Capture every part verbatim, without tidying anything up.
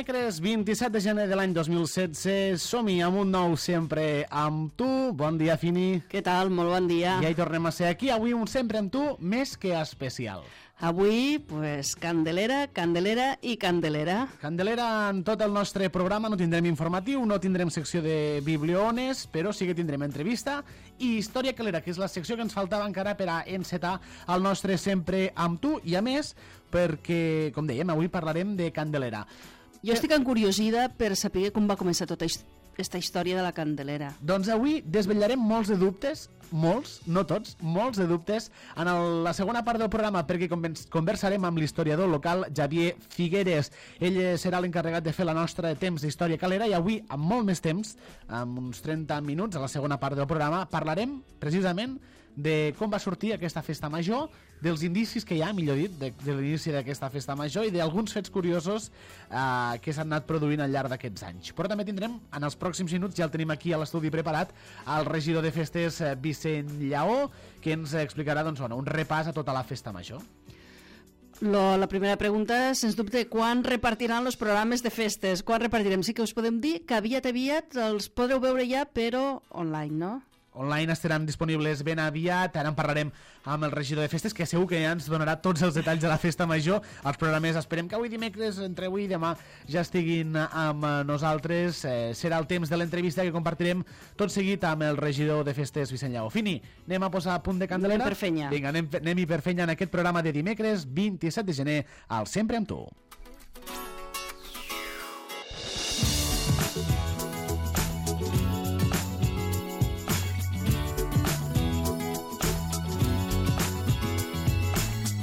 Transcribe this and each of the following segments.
Dimecres vint-i-set de gener de l'any dos mil setze, som-hi amb un nou Sempre amb tu. Bon dia, Fini. Què tal? Molt bon dia. Ja hi tornem a ser aquí, avui un Sempre amb tu més que especial. Avui, pues, Candelera, Candelera i Candelera. Candelera en tot el nostre programa. No tindrem informatiu, no tindrem secció de bibliones, però sí que tindrem entrevista i Història Calera, que és la secció que ens faltava encara per a encetar el nostre Sempre amb tu. I a més, perquè, com dèiem, avui parlarem de Candelera. Jo estic encuriosida per saber com va començar tota aquesta història de la Candelera. Doncs avui desvetllarem molts de dubtes, molts, no tots, molts de dubtes en el, la segona part del programa, perquè conversarem amb l'historiador local Xavier Figueres. Ell serà l'encarregat de fer la nostra temps d'Història Calera i avui, amb molt més temps, amb uns trenta minuts a la segona part del programa, parlarem precisament de com va sortir aquesta festa major, dels indicis que hi ha, millor dit, de, de l'inici d'aquesta festa major i d'alguns fets curiosos eh, que s'han anat produint al llarg d'aquests anys. Però també tindrem, en els pròxims minuts, ja el tenim aquí a l'estudi preparat, el regidor de festes, eh, Vicent Lleó, que ens explicarà doncs, bueno, un repàs a tota la festa major. Lo, la primera pregunta, sens dubte, quan repartiran els programes de festes? Quan repartirem? Sí que us podem dir que aviat aviat els podreu veure ja, però online, no? Online estaran disponibles ben aviat. Ara en parlarem amb el regidor de festes, que segur que ja ens donarà tots els detalls de la festa major. Els programes esperem que avui dimecres, entre avui i demà, ja estiguin amb nosaltres. Eh, serà el temps de l'entrevista que compartirem tot seguit amb el regidor de festes, Vicent Lleó. Fini, anem a posar a punt de Candelera? Anem per fenya. Vinga, anem, anem-hi per fenya en aquest programa de dimecres vint-i-set de gener al Sempre amb tu.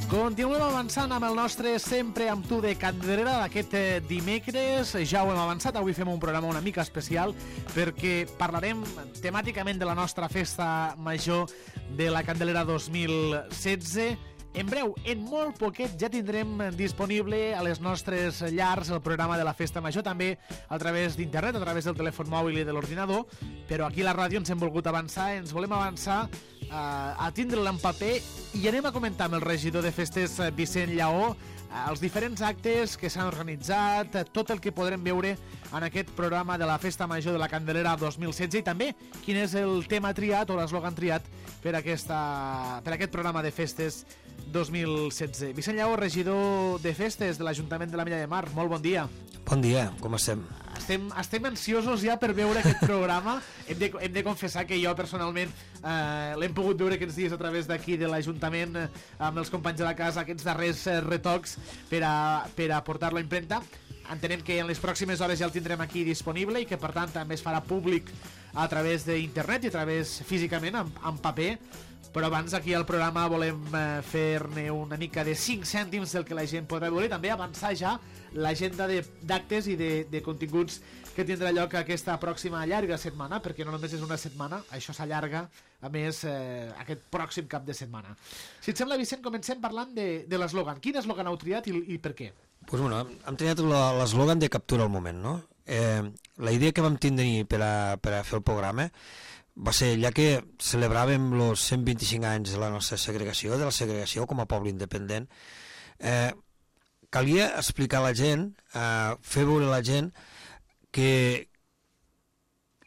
Continuem avançant amb el nostre Sempre amb tu de Candelera d'aquest dimecres. Ja ho hem avançat, avui fem un programa una mica especial perquè parlarem temàticament de la nostra festa major de la Candelera dos mil setze. En breu, en molt poquet, ja tindrem disponible a les nostres llars el programa de la festa major, també a través d'internet, a través del telèfon mòbil i de l'ordinador, però aquí a la ràdio ens hem volgut avançar, ens volem avançar uh, a tindre-la en paper i anem a comentar amb el regidor de festes, Vicent Lleó, els diferents actes que s'han organitzat, tot el que podrem veure en aquest programa de la Festa Major de la Candelera dos mil setze i també quin és el tema triat o l'eslògan triat per, aquesta, per aquest programa de festes dos mil setze. Vicent Lleó, regidor de festes de l'Ajuntament de la Mella de Mar, molt bon dia. Bon dia, com estem? Estem, estem ansiosos ja per veure aquest programa. Hem de, hem de confessar que jo personalment eh, l'hem pogut veure aquests dies a través d'aquí de l'Ajuntament eh, amb els companys de la casa, aquests darrers eh, retocs per a, per a portar-lo a impremta. Entenem que en les pròximes hores ja el tindrem aquí disponible i que per tant també es farà públic a través d'internet i a través físicament en, en paper. Però abans aquí al programa volem eh, fer-ne una mica de cinc cèntims del que la gent podrà veure i també avançar ja l'agenda d'actes i de, de continguts que tindrà lloc aquesta pròxima llarga setmana, perquè no només és una setmana, això s'allarga a més eh, aquest pròxim cap de setmana. Si et sembla, Vicent, comencem parlant de, de l'eslògan. Quin eslògan heu triat i, i per què? Pues bueno, hem triat l'eslògan de captura al moment, no? Eh, la idea que vam tindre per a, per a fer el programa va ser, ja que celebràvem els cent vint-i-cinc anys de la nostra segregació, de la segregació com a poble independent, eh, calia explicar a la gent, eh, fer veure a la gent que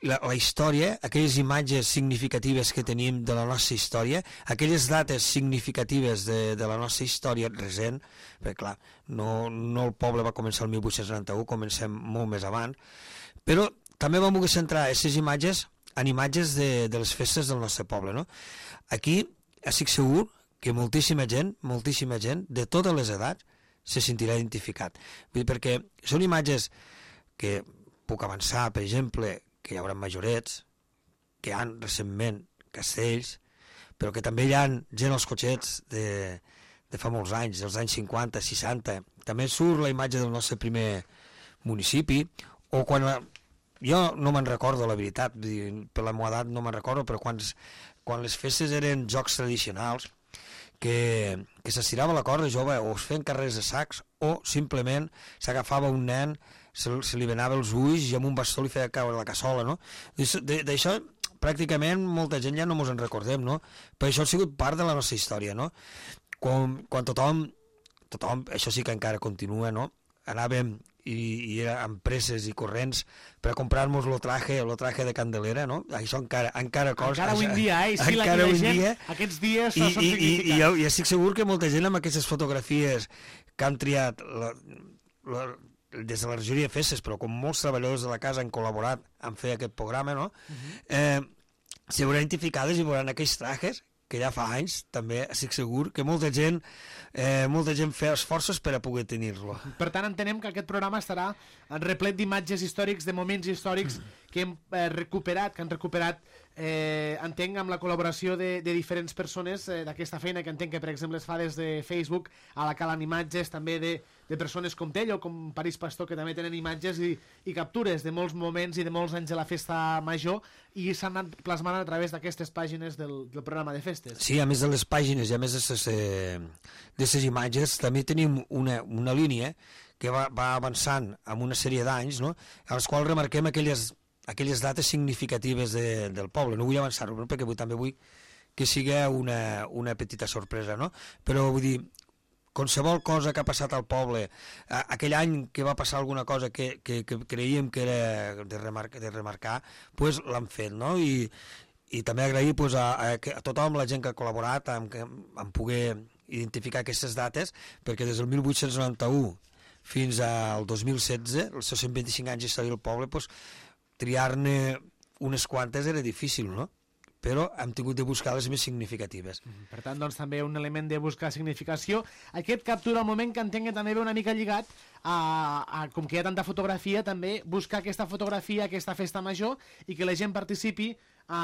la, la història, aquelles imatges significatives que tenim de la nostra història, aquelles dates significatives de, de la nostra història recent, perquè clar, no, no el poble va començar el mil vuit-cents noranta-u, comencem molt més avant, però també vam voler centrar aquestes imatges en imatges de, de les festes del nostre poble, no? Aquí estic segur que moltíssima gent, moltíssima gent, de totes les edats, se sentirà identificat. Vull dir, perquè són imatges que puc avançar, per exemple, que hi haurà majorets, que hi ha recentment castells, però que també hi ha gent als cotxets de, de fa molts anys, dels anys cinquanta, seixanta. També surt la imatge del nostre primer municipi, o quan... La, jo no me'n recordo, la veritat, per la meva edat no me'n recordo, però quan, quan les festes eren jocs tradicionals, que, que s'estirava la corda jove, o es feien carrers de sacs, o simplement s'agafava un nen, se, se li venava els ulls i amb un bastó li feia caure la cassola, no? D'això pràcticament molta gent ja no mos en recordem, no? Però això ha sigut part de la nostra història, no? Quan, quan tothom, tothom, això sí que encara continua, no? Anàvem i, i era amb presses i corrents per a comprar-nos lo traje, lo traje de Candelera, no? Això encara, encara cosa... Encara avui en dia, eh? Sí, encara avui en gent, dia. Aquests dies I, són i, significants. I, i, jo, i estic segur que molta gent amb aquestes fotografies que han triat la, la, des de la regidoria de festes, però com molts treballadors de la casa han col·laborat en fer aquest programa, no? Uh-huh. eh, s'hi veuran identificades i veuran aquells trajes que ja fa anys, també estic segur que molta gent eh, molta gent fa esforços per a poder tenir-lo. Per tant, entenem que aquest programa estarà replet d'imatges històrics, de moments històrics que hem eh, recuperat, que han recuperat, eh, entenc, amb la col·laboració de, de diferents persones eh, d'aquesta feina, que entenc que, per exemple, es fa des de Facebook, a la calen imatges també de, de persones com Tello, com París Pastor, que també tenen imatges i, i captures de molts moments i de molts anys de la festa major, i s'han anat plasmant a través d'aquestes pàgines del, del programa de festes. Sí, a més de les pàgines i a més de les eh, imatges, també tenim una, una línia que va, va avançant amb una sèrie d'anys, no?, a les quals remarquem aquelles, aquelles dates significatives de, del poble. No vull avançar-ho, no? Perquè vull, també vull que sigui una, una petita sorpresa, no? Però vull dir, qualsevol cosa que ha passat al poble, aquell any que va passar alguna cosa que, que, que creiem que era de remarcar, de remarcar pues l'han fet, no? I, i també agrair pues, a, a, a tothom, la gent que ha col·laborat en, en poder identificar aquestes dates, perquè des del mil vuit-cents noranta-u fins al dos mil setze, els seus cent vint-i-cinc anys d'història del poble, pues, triar-ne unes quantes era difícil, no? Però hem tingut de buscar les més significatives. Per tant, doncs, també un element de buscar significació. Aquest captura al moment que entenc que també ve una mica lligat a, a, com que hi ha tanta fotografia, també buscar aquesta fotografia, aquesta festa major, i que la gent participi a,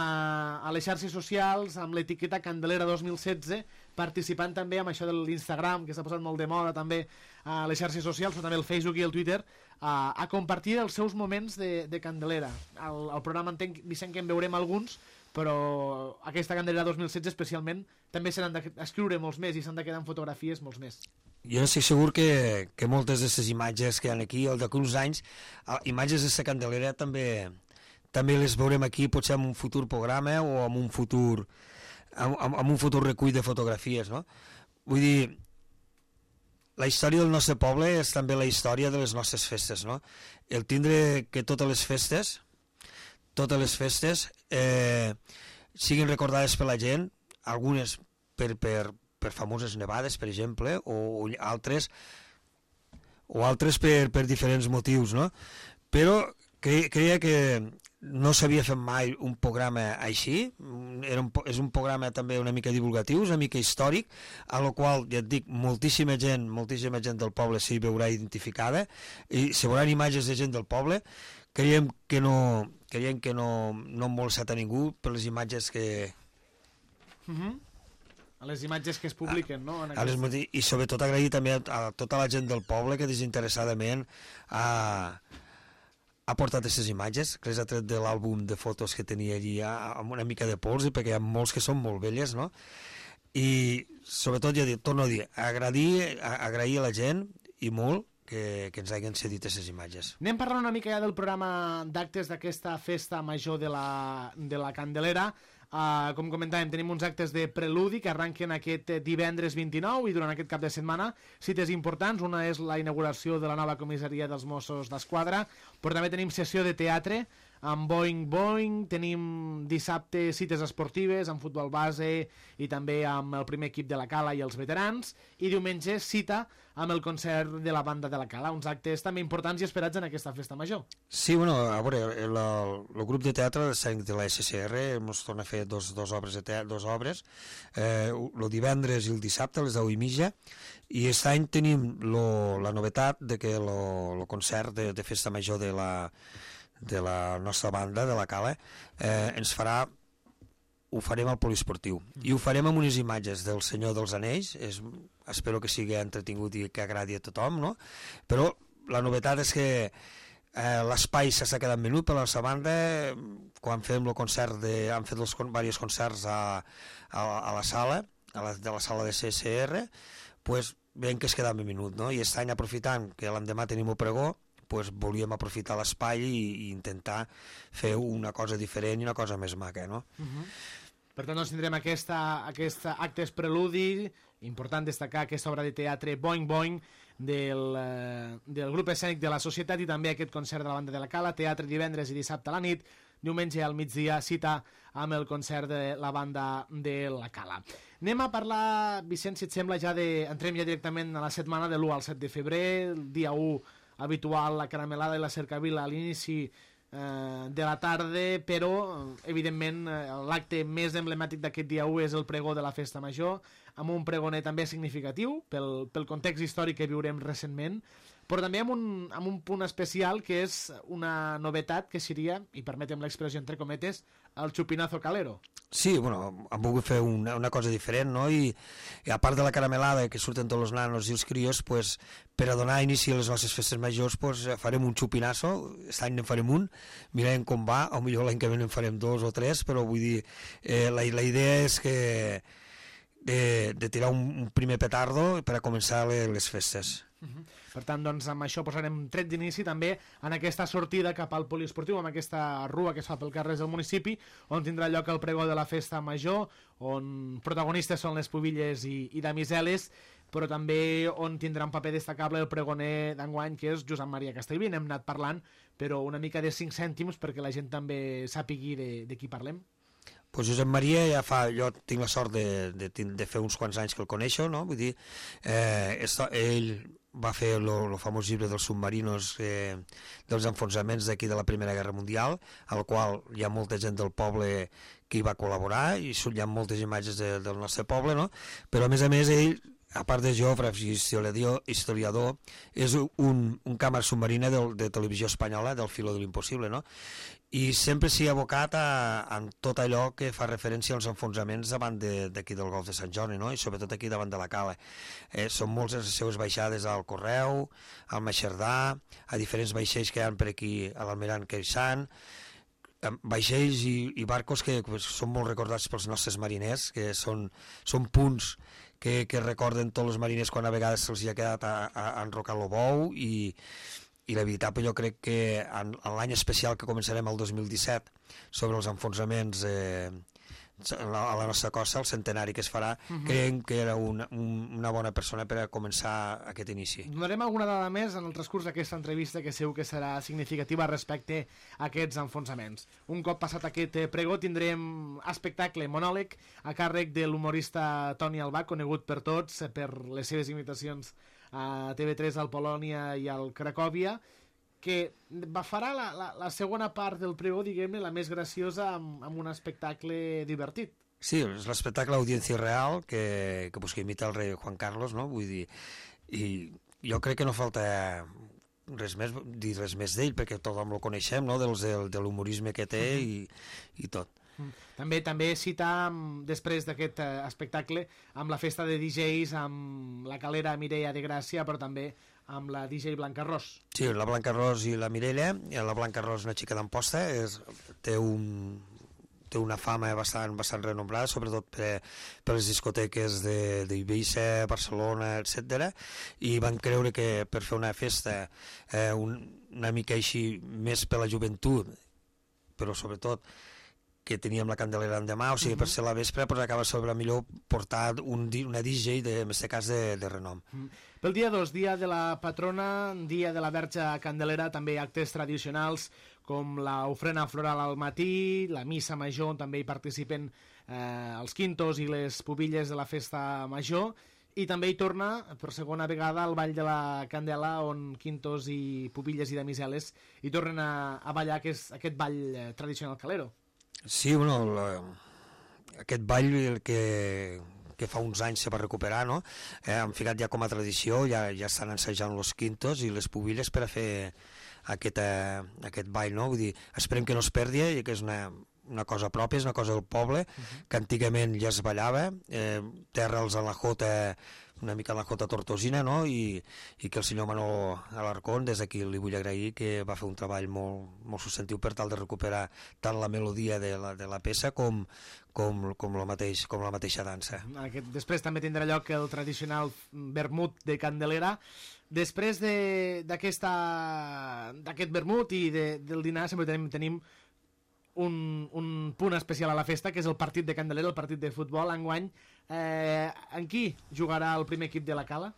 a les xarxes socials amb l'etiqueta Candelera dos mil setze, participant també amb això de l'Instagram, que s'ha posat molt de moda també a les xarxes socials, però també el Facebook i el Twitter, a, a compartir els seus moments de, de Candelera. Al, al programa entenc, Vicent, que en veurem alguns, però aquesta Candelera dos mil setze especialment també se n'han d'escriure molts més i s'han de quedar en fotografies molts més. Jo estic segur que, que moltes d'aquestes imatges que hi ha aquí, al d'aquí uns anys, imatges d'aquesta Candelera també, també les veurem aquí, potser en un futur programa o en un futur, en, en un futur recull de fotografies, no? Vull dir, la història del nostre poble és també la història de les nostres festes, no? El tindre que totes les festes totes les festes eh, siguin recordades per la gent, algunes per, per, per famoses nevades, per exemple, o, o altres o altres per, per diferents motius, no? Però cre, creia que no s'havia fet mai un programa així, Era un, és un programa també una mica divulgatiu, una mica històric, a lo qual, ja et dic, moltíssima gent, moltíssima gent del poble s'hi veurà identificada, i s'hi veuran imatges de gent del poble. Creiem que no, creiem que no, no hem molestat a ningú per les imatges que... Uh-huh. A les imatges que es publiquen, no? En a les, I sobretot agrair també a, a tota la gent del poble que desinteressadament ha, ha portat aquestes imatges, que les ha tret de l'àlbum de fotos que tenia allí amb una mica de pols, perquè hi ha molts que són molt velles, no? I sobretot, ja dic, torno a dir, agrair, agrair a la gent, i molt, que, que ens hagin cedit aquestes imatges. Anem parlant una mica ja del programa d'actes d'aquesta festa major de la, de la Candelera. Uh, com comentàvem, tenim uns actes de preludi que arranquen aquest divendres vint-i-nou i durant aquest cap de setmana cites importants. Una és la inauguració de la nova comissaria dels Mossos d'Esquadra, però també tenim sessió de teatre amb Boing Boing, tenim dissabte cites esportives amb futbol base i també amb el primer equip de la Cala i els veterans, i diumenge cita amb el concert de la banda de la Cala, uns actes també importants i esperats en aquesta festa major. Sí, bueno, a veure, el, el grup de teatre de la S C R ens torna a fer dos, dos obres, de teatre, dos obres eh, el divendres i el dissabte a les deu i mitja, i aquest any tenim lo, la novetat de que el concert de, de festa major de la de la nostra banda, de la Cala, eh, ens farà, ho farem al poliesportiu, i ho farem amb unes imatges del Senyor dels Anells. És, espero que sigui entretingut i que agradi a tothom, no? Però la novetat és que eh, l'espai s'està quedant menut per la nostra banda. Quan fem el concert, de, han fet els diversos concerts a, a, a la sala, a la, de la sala de C S R, pues, veiem que es queda menut, no? I aquest any, aprofitant que l'endemà tenim el pregó, pues volíem aprofitar l'espai i, i intentar fer una cosa diferent i una cosa més maca, no? Uh-huh. Per tant, doncs tindrem aquesta, aquesta actes preludi, important destacar aquesta obra de teatre Boing Boing del, eh, del grup escènic de la Societat, i també aquest concert de la banda de la Cala, teatre divendres i dissabte a la nit, diumenge al migdia cita amb el concert de la banda de la Cala. Anem a parlar, Vicenç, si et sembla, ja de, entrem ja directament a la setmana de l'u al set de febrer, el dia u habitual, la caramelada i la cercavila a l'inici eh, de la tarda, però evidentment l'acte més emblemàtic d'aquest dia u és el pregó de la Festa Major, amb un pregoner també significatiu pel, pel context històric que viurem recentment, però també amb un, amb un punt especial que és una novetat que seria, i permetem l'expressió entre cometes, el chupinazo calero. Sí, bueno, hem volgut fer una, una cosa diferent, no? I, i a part de la caramelada que surten tots els nanos i els crios, pues, per a donar inici a les nostres festes majors, pues, farem un chupinazo, aquest any en farem un, mirarem com va, o millor l'any que ve en farem dos o tres, però vull dir, eh, la, la idea és que de, de tirar un, un primer petardo per a començar les, les festes. Uh-huh. Per tant, doncs, amb això posarem tret d'inici també en aquesta sortida cap al poliesportiu, amb aquesta rua que es fa pel carrer del municipi, on tindrà lloc el pregó de la Festa Major, on protagonistes són les pubilles i, i damiseles, però també on tindrà un paper destacable el pregoner d'enguany, que és Josep Maria Castellví. N'hem anat parlant, però una mica de cinc cèntims perquè la gent també sàpigui de, de qui parlem. Pues Josep Maria ja fa, jo tinc la sort de, de, de fer uns quants anys que el coneixo, no? Vull dir, eh, ell va fer el famós llibre dels submarinos, eh, dels enfonsaments d'aquí de la Primera Guerra Mundial, al qual hi ha molta gent del poble que hi va col·laborar, i hi ha moltes imatges de, del nostre poble, no? Però a més a més ell, a part de geògraf i historiador, historiador és un, un càmera submarina de, de televisió espanyola, del Filo de l'Impossible, no? I sempre s'hi ha abocat a, a tot allò que fa referència als enfonsaments davant d'aquí de, del Golf de Sant Jordi, no? I sobretot aquí davant de la Cala. Eh, són moltes les seves baixades al Correu, al Maxerdà, a diferents vaixells que hi ha per aquí a l'Almirant Queixant, vaixells i, i barcos que pues, són molt recordats pels nostres mariners, que són, són punts que, que recorden tots els mariners quan a vegades se'ls ha quedat a, a, a enrocar el bou, i i la veritat, jo crec que en, en l'any especial que començarem el dos mil disset sobre els enfonsaments eh, a la nostra costa, el centenari que es farà, uh-huh. creiem que era una, una bona persona per a començar aquest inici. Donarem alguna dada més en el transcurs d'aquesta entrevista que segur que serà significativa respecte a aquests enfonsaments. Un cop passat aquest pregó tindrem espectacle monòleg a càrrec de l'humorista Toni Albà, conegut per tots per les seves imitacions a T V tres, al Polònia i al Cracòvia, que farà la, la, la segona part del pregó, diguem-ne, la més graciosa, amb, amb un espectacle divertit. Sí, és l'espectacle Audiència Real, que, que, pues, que imita el rei Juan Carlos, no? Vull dir, i jo crec que no falta res més, dir res més d'ell, perquè tothom el coneixem, no? Dels, del, de l'humorisme que té i, i tot. També també citar, després d'aquest eh, espectacle, amb la festa de D Js, amb la calera Mireia de Gràcia, però també amb la D J Blanca Ros. Sí, la Blanca Ros i la Mireia. La Blanca Ros, una xica d'Amposta, és, té, un, té una fama bastant, bastant renombrada, sobretot per, per les discoteques d'Eivissa, Barcelona, etcètera. I van creure que per fer una festa eh, un, una mica així més per la joventut, però sobretot que teníem la Candelera l'endemà, o sigui, uh-huh. per ser la vespre, pues, acaba sobre millor portar un, una D J, de, en aquest cas, de, de renom. Uh-huh. Pel dia dos, dia de la patrona, dia de la Verge Candelera, també actes tradicionals com l'ofrena floral al matí, la missa major, on també hi participen eh, els quintos i les pubilles de la festa major, i també hi torna, per segona vegada, al Ball de la Candela, on quintos i pubilles i damiseles hi tornen a, a ballar aquest, aquest ball eh, tradicional calero. Sí, bueno, la, aquest ball que, que fa uns anys se va recuperar, no? Eh, han ficat ja com a tradició, ja, ja estan ensajant los quintos i les pubilles per a fer aquest, eh, aquest ball, no? Vull dir, esperem que no es perdi, i que és una, una cosa pròpia, és una cosa del poble, uh-huh. que antigament ja es ballava, eh, terra'ls en la jota, una mica en la jota tortosina, no? I, i que el senyor Manolo Alarcón, des d'aquí li vull agrair, que va fer un treball molt, molt substantiu per tal de recuperar tant la melodia de la, de la peça com, com, com, la mateix, com la mateixa dansa. Aquest, després també tindrà lloc el tradicional vermut de Candelera. Després d'aquest vermut i de, del dinar sempre tenim, tenim un, un punt especial a la festa, que és el partit de Candelera, el partit de futbol. Enguany, eh, en qui jugarà el primer equip de la Cala?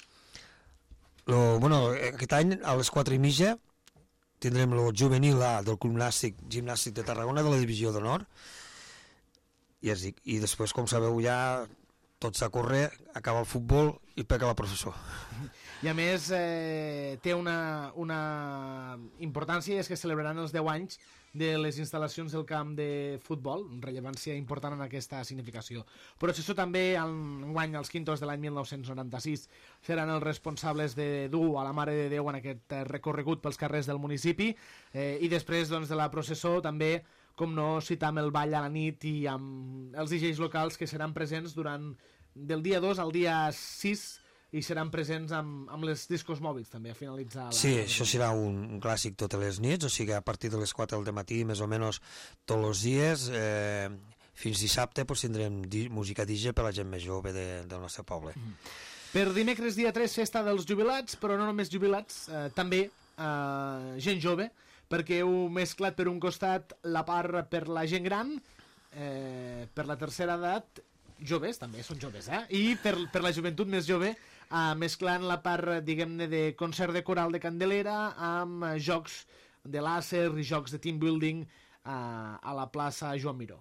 Lo, bueno, aquest any, a les quatre i mitja, tindrem el juvenil A del Club Nàstic, Gimnàstic de Tarragona, de la Divisió d'Honor, i, es dic, i després, com sabeu, ja tots a córrer, acaba el futbol i pega la professor. I a més eh, té una, una importància, és que celebraran els deu anys de les instal·lacions del camp de futbol, rellevància important en aquesta significació. Però això també, enguany, els quintos de l'any mil nou-cents noranta-sis, seran els responsables de dur a la Mare de Déu en aquest recorregut pels carrers del municipi, eh, i després doncs, de la processó també, com no, citar amb el ball a la nit i amb els D Js locals que seran presents durant del dia dos al dia sis, i seran presents amb, amb les discos mòbils també a finalitzar la... Sí, això serà un, un clàssic totes les nits, o sigui, a partir de les quatre del matí, més o menys tots els dies, eh, fins dissabte pues, tindrem di música D J per la gent més jove de, del nostre poble. Mm. Per dimecres dia tres, festa dels jubilats, però no només jubilats, eh, també eh, gent jove, perquè heu mesclat per un costat la part per la gent gran, eh, per la tercera edat, joves, també són joves, eh? I per, per la joventut més jove, Uh, mesclant la part, diguem-ne, de concert de coral de Candelera amb uh, jocs de làser i jocs de team building uh, a la plaça Joan Miró.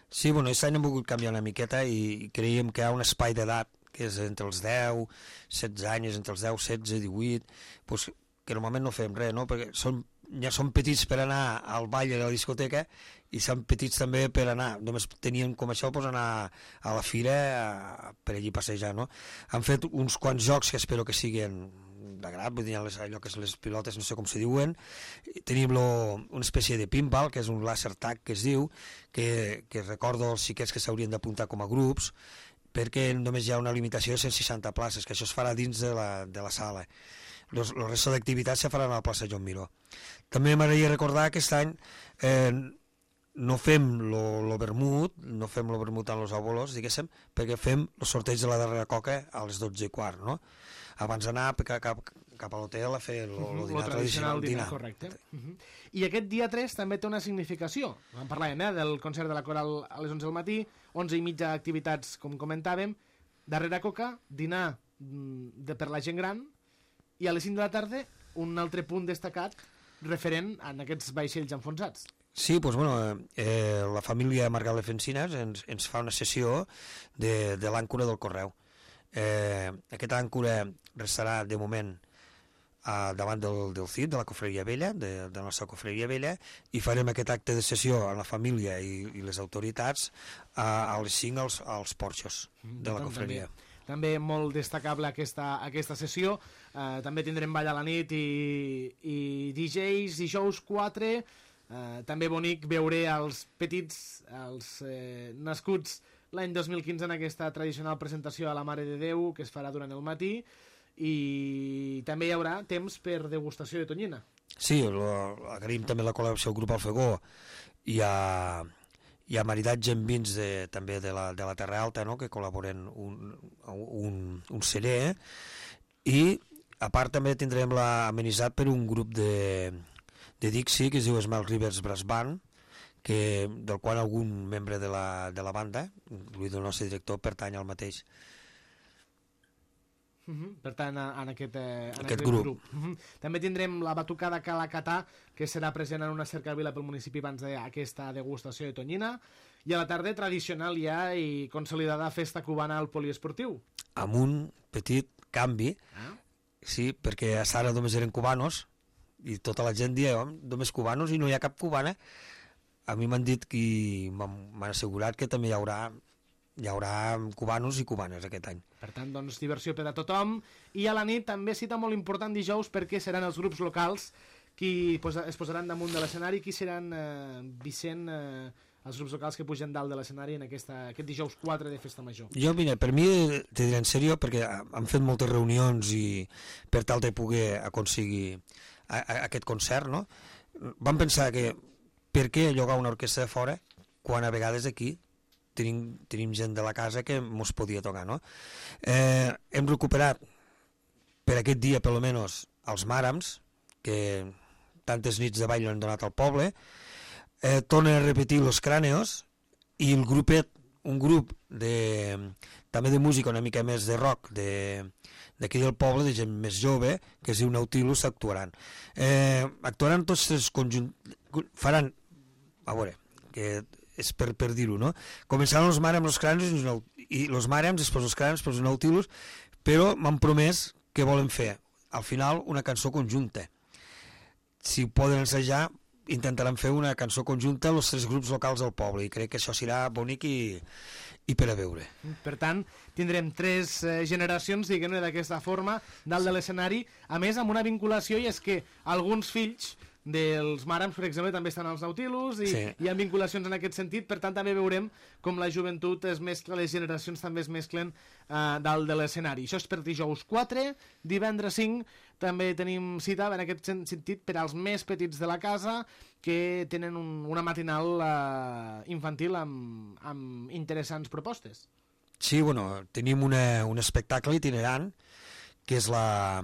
Sí, bueno, aquest any hem volgut canviar una miqueta i creiem que hi ha un espai d'edat que és entre els deu, setze anys, entre els deu, setze, divuit, pues, que normalment no fem res, no? Perquè són, ja són petits per anar al ball a la discoteca i són petits també per anar, només tenien com això pues, anar a la fira a, per allí passejar, no? Han fet uns quants jocs que espero que siguin d'agrat, vull dir, les, allò que és les pilotes, no sé com se diuen. Tenim lo, una espècie de pinball, que és un laser tag que es diu, que, que recordo els xiquets que s'haurien d'apuntar com a grups, perquè només hi ha una limitació de cent seixanta places, que això es farà dins de la, de la sala. Los, el resto d'activitats se faran a la plaça Joan Miró. També m'agradaria recordar que aquest any eh, no fem lo, lo vermut, no fem lo vermut amb els abuelos, diguéssim, perquè fem el sorteig de la darrera coca a les dotze i quart, no? Abans d'anar cap, cap, cap a l'hotel a fer el uh -huh, dinar tradicional. Dinar, correcte. Uh -huh. I aquest dia tres també té una significació. En parlàvem, eh, del concert de la coral a les onze del matí, onze i mitja activitats, com comentàvem, darrera coca, dinar de, per la gent gran, i a les cinc de la tarda un altre punt destacat referent a aquests vaixells enfonsats. Sí, doncs, bueno, eh, la família Margalef Encinas ens, ens fa una sessió de, de l'àncora del correu. Eh, aquesta àncora restarà de moment eh, davant del, del C I D, de la Cofreria Vella, de, de la nostra Cofreria Vella, i farem aquest acte de sessió amb la família i, i les autoritats eh, a les cinc als, als porxos de la Cofreria. També. També molt destacable aquesta, aquesta sessió. Eh, també tindrem ball a la nit i, i D Js, dijous quatre. Eh, també bonic veure els petits, els eh, nascuts l'any dos mil quinze en aquesta tradicional presentació a la Mare de Déu que es farà durant el matí, i també hi haurà temps per degustació de tonyina. Sí, lo, agraïm també la col·laboració al grup Alfegó i a... Hi ha maridatge en vins de, també de la, de la Terra Alta, no?, que col·laboren un, un, un celler, i a part també tindrem l'amenitzat per un grup de, de Dixie que es diu Small Rivers Brass Band, que, del qual algun membre de la, de la banda, inclús el nostre director, pertany al mateix. Uh -huh. Per tant, en aquest, eh, en aquest, aquest grup, grup. Uh -huh. També tindrem la batucada Calacatà, que serà present en una cercavila pel municipi abans d'aquesta degustació de tonyina, i a la tarda tradicional ja i consolidada festa cubana al poliesportiu. Amb un petit canvi, ah? Sí, perquè a ara només eren cubanos i tota la gent dia només cubanos i no hi ha cap cubana. A mi m'han dit que m'han assegurat que també hi haurà hi haurà cubanos i cubanes aquest any. Per tant, doncs, diversió per a tothom. I a la nit també cita molt important dijous, perquè seran els grups locals qui es posaran damunt de l'escenari, qui seran eh, Vicent, eh, els grups locals que pugen dalt de l'escenari en aquesta, aquest dijous quatre de Festa Major. Jo, mira, per mi, te diré en sèrio, perquè han fet moltes reunions i per tal de poder aconseguir a, a, aquest concert, no? Vam pensar que per què llogar una orquestra de fora quan a vegades aquí Tenim, tenim gent de la casa que mos podia tocar, no? Eh, hem recuperat per aquest dia, per almenys, els Màrams, que tantes nits de ball han donat al poble, eh, tornen a repetir los Cràneos, i el grupet un grup de, també de música una mica més de rock de, d'aquí del poble, de gent més jove, que es diu Nautilus, actuaran. Eh, actuaran tots tres conjunts, faran, a veure, que és per, per dir-ho, no? Començaran els Marems, els Cranes, i els Marems, després els Cranes, després els Nautilus, però m'han promès que volen fer, al final, una cançó conjunta. Si poden ensejar, intentaran fer una cançó conjunta els tres grups locals del poble, i crec que això serà bonic i, i per a veure. Per tant, tindrem tres eh, generacions, diguem-ne, d'aquesta forma, dalt de l'escenari, a més amb una vinculació, i és que alguns fills dels Marems, per exemple, també estan als Nautilus, i sí. Hi ha vinculacions en aquest sentit, per tant també veurem com la joventut es mescla, les generacions també es mesclen eh, dalt de l'escenari. Això és per dijous quatre, divendres cinc, també tenim cita en aquest sentit per als més petits de la casa, que tenen un, una matinal eh, infantil amb, amb interessants propostes. Sí, bueno, tenim una, un espectacle itinerant, que és la...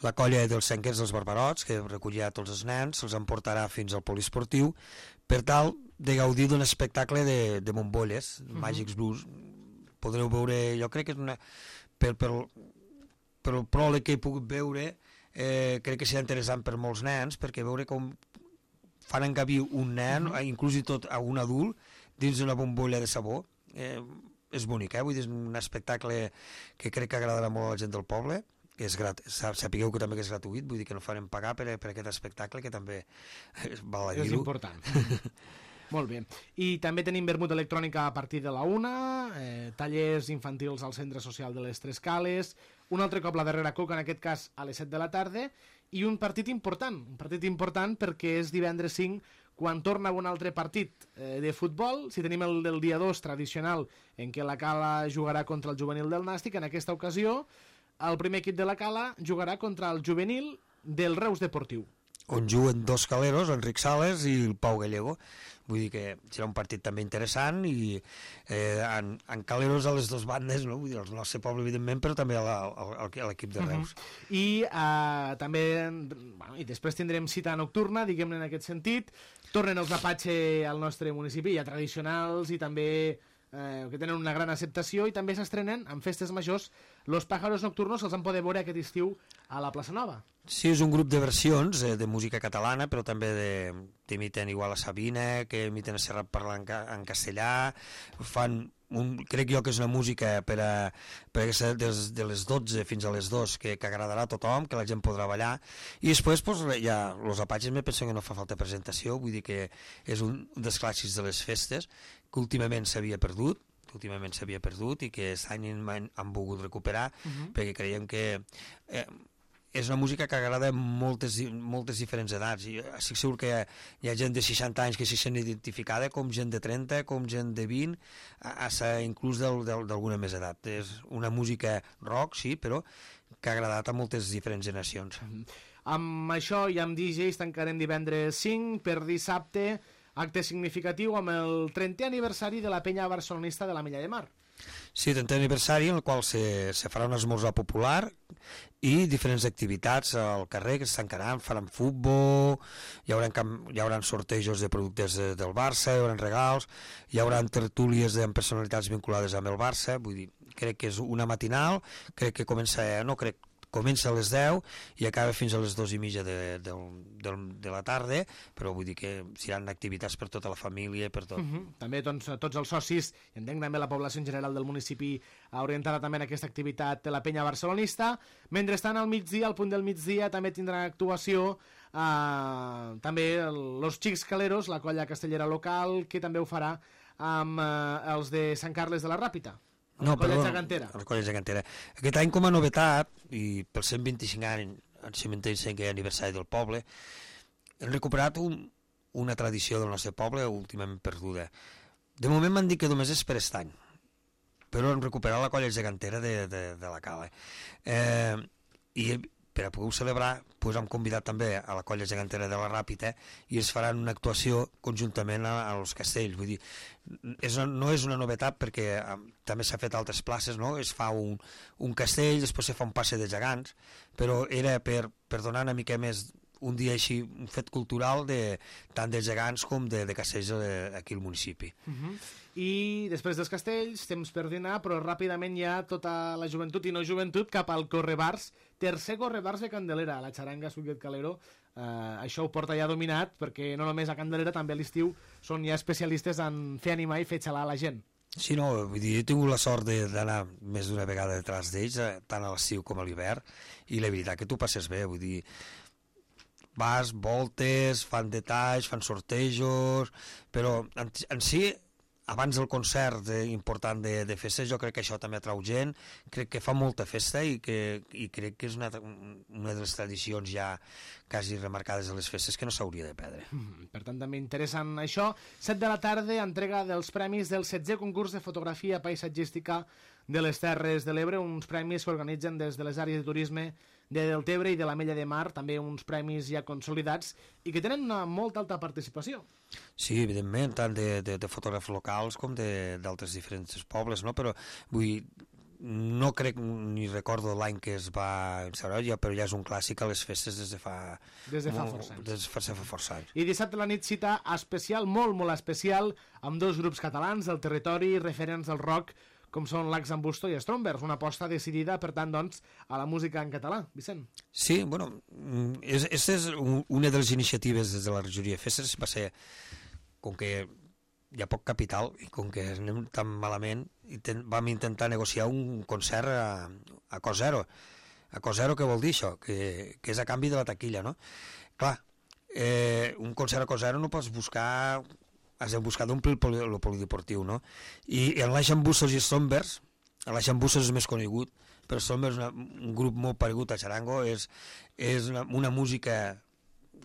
la colla dels Senquers dels Barbarots, que recollirà tots els nens, se'ls emportarà fins al poliesportiu, per tal de gaudir d'un espectacle de, de bombolles, uh -huh. Màgics Blues. Podreu veure, jo crec que és una... Per, per, per el pròleg que he pogut veure, eh, crec que serà interessant per molts nens, perquè veure com fan encabir un nen, uh -huh. inclús i tot a un adult, dins d'una bombolla de sabó. Eh, és bonic, eh? Vull dir, és un espectacle que crec que agradarà molt a la gent del poble, que és grat... sapigueu que també que és gratuït, vull dir que no farem pagar per, per aquest espectacle, que també val a dir-ho. És important. Molt bé. I també tenim vermut electrònica a partir de la una, eh, tallers infantils al Centre Social de les Tres Cales, un altre cop la darrera coca, en aquest cas a les set de la tarda, i un partit important, un partit important perquè és divendres cinc, quan torna un altre partit eh, de futbol. Si tenim el del dia dos tradicional, en què la Cala jugarà contra el juvenil del Nàstic, en aquesta ocasió el primer equip de la Cala jugarà contra el juvenil del Reus Deportiu, on juguen dos caleros, Enric Sales i el Pau Gallego. Vull dir que serà un partit també interessant, i eh, en, en caleros a les dues bandes, no? Vull dir, el nostre poble, evidentment, però també a l'equip de Reus. Uh-huh. I eh, també, bueno, i després tindrem cita nocturna, diguem-ne, en aquest sentit. Tornen els Apache al nostre municipi, ja tradicionals, i també eh, que tenen una gran acceptació, i també s'estrenen en festes majors Los Pájaros Nocturnos, els han poder veure aquest estiu a la Plaça Nova. Sí, és un grup de versions eh, de música catalana, però també de, t'imiten igual a Sabina, que imiten a Serrat parlant en, en castellà, fan un, crec jo que és una música per a, per a ser des, de les dotze fins a les dues, que, que agradarà a tothom, que la gent podrà ballar, i després pues, ja, los Apaches me penso que no fa falta presentació, vull dir que és un dels clàssics de les festes, que últimament s'havia perdut, que últimament s'havia perdut i que aquest any han, han volgut recuperar, uh-huh. perquè creiem que eh, és una música que agrada a moltes, moltes diferents edats, i estic segur que hi ha, hi ha gent de seixanta anys que s'hi sent identificada, com gent de trenta, com gent de vint, a, a, inclús d'alguna més edat. És una música rock, sí, però que ha agradat a moltes diferents generacions. Uh-huh. Amb això i amb D Js tancarem divendres cinc, per dissabte acte significatiu amb el trentè aniversari de la penya barcelonista de la Milla de Mar. Sí, trentè aniversari en el qual se, se farà un esmorzar popular i diferents activitats al carrer que es tancaran, faran futbol, hi haurà, hi haurà sortejos de productes de, del Barça, hi haurà regals, hi haurà tertúlies amb personalitats vinculades amb el Barça, vull dir, crec que és una matinal, crec que comença, no crec, comença a les deu i acaba fins a les dues i mitja de, de, de, de la tarda, però vull dir que seran activitats per tota la família, per tot. Uh-huh. També doncs, tots els socis, i entenc també la població en general del municipi orientada també en aquesta activitat de la penya barcelonista. Mentrestant, al migdia, al punt del migdia, també tindran actuació eh, també el, los Xics Caleros, la colla castellera local, que també ho farà amb eh, els de Sant Carles de la Ràpita. No, la colla perdó, gegantera. La colla gegantera. Aquest any, com a novetat, i pel cent vint-i-cinc anys, el cent vint-i-cinquè aniversari del poble, hem recuperat un, una tradició del nostre poble últimament perduda. De moment m'han dit que només és per aquest any, però hem recuperat la colla gegantera de, de, de la Cala. Eh, I per a poder celebrar, pues, hem convidat també a la colla gegantera de la Ràpita i es faran una actuació conjuntament a, als castells. Vull dir, és una, no és una novetat perquè eh, també s'ha fet a altres places, no? Es fa un, un castell, després se fa un passe de gegants, però era per, per donar una mica més un dia així, un fet cultural de, tant de gegants com de, de castells aquí al municipi. Uh -huh. I després dels castells, temps per dinar, però ràpidament hi ha tota la joventut i no joventut cap al Correbars, tercer Correbars de Candelera, la xaranga Suquet Calero. Uh, això ho porta ja dominat, perquè no només a Candelera, també a l'estiu són ja especialistes en fer animar i fer xalar la gent. Sí, no, vull dir, he tingut la sort d'anar més d'una vegada detrás d'ells, tant a l'estiu com a l'hivern, i la veritat que tu passes bé, vull dir, vas, voltes, fan detalls, fan sortejos, però en, en si, abans del concert eh, important de, de festes, jo crec que això també atrau gent, crec que fa molta festa i, que, i crec que és una, una de les tradicions ja quasi remarcades a les festes que no s'hauria de perdre. Mm, per tant, també interessant això. set de la tarda, entrega dels premis del setzè concurs de fotografia paisatgística de les Terres de l'Ebre, uns premis que organitzen des de les àrees de turisme de Deltebre i de l'Ametlla de Mar, també uns premis ja consolidats i que tenen una molt alta participació. Sí, evidentment, tant de, de, de fotògrafs locals com d'altres diferents pobles, no? Però vull no crec ni recordo l'any que es va instaurar, ja, però ja és un clàssic a les festes des de fa... Des de fa força anys. Des de fa, fa força anys. I dissabte a la nit cita especial, molt, molt especial, amb dos grups catalans del territori referents al rock, com són l'Ax en Busto i Strombers, una aposta decidida, per tant, doncs, a la música en català. Vicent? Sí, bueno, és, és una de les iniciatives des de la regidoria de festes, va ser, com que hi ha poc capital i com que anem tan malament, intent, vam intentar negociar un concert a, a cost zero. A cost zero què vol dir això? Que, que és a canvi de la taquilla, no? Clar, eh, un concert a cost zero no pots buscar... has de buscar d'omplir el, poli, el polideportiu, no? I, i en l'Aixambussos i Strombers, l'Aixambussos és més conegut, però Strombers és una, un grup molt paregut a Charango, és, és una, una música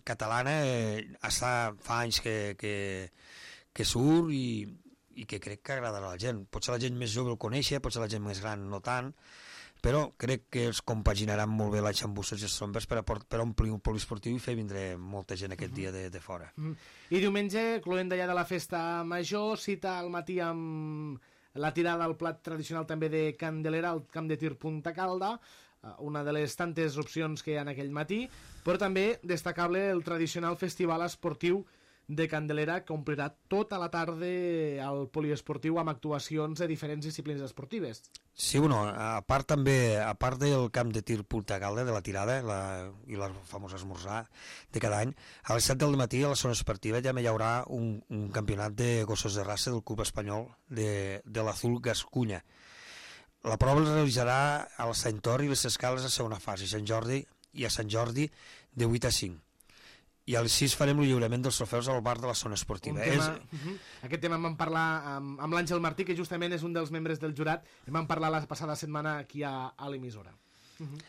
catalana, eh, està, fa anys que, que, que surt i, i que crec que agradarà a la gent. Potser la gent més jove el coneix, potser la gent més gran no tant, però crec que es compaginaran molt bé l'Aixambussos i Strombers per, per omplir un poliesportiu i fer vindre molta gent aquest dia de, de fora. Mm. I diumenge, cloent d'allà de la festa major, cita al matí amb la tirada al plat tradicional també de Candelera, al camp de tir Punta Calda, una de les tantes opcions que hi ha en aquell matí, però també destacable el tradicional festival esportiu de Candelera, que omplirà tota la tarda al poliesportiu amb actuacions de diferents disciplines esportives. Sí, bueno, a part també, a part del camp de tir Punta Calda, de la tirada la, i la famosa esmorzar de cada any, a les set del matí a la zona esportiva ja hi haurà un, un campionat de gossos de raça del club espanyol de, de l'Azul Gascunya. La prova es realitzarà a la Sant Tor i les Escales a segona fase, Sant Jordi i a Sant Jordi de vuit a cinc. I a les sis farem el lliurament dels trofeus al bar de la zona esportiva. Tema, és... uh -huh. Aquest tema en vam parlar amb, amb l'Àngel Martí, que justament és un dels membres del jurat, en vam parlar la passada setmana aquí a, a l'emissora. Uh -huh.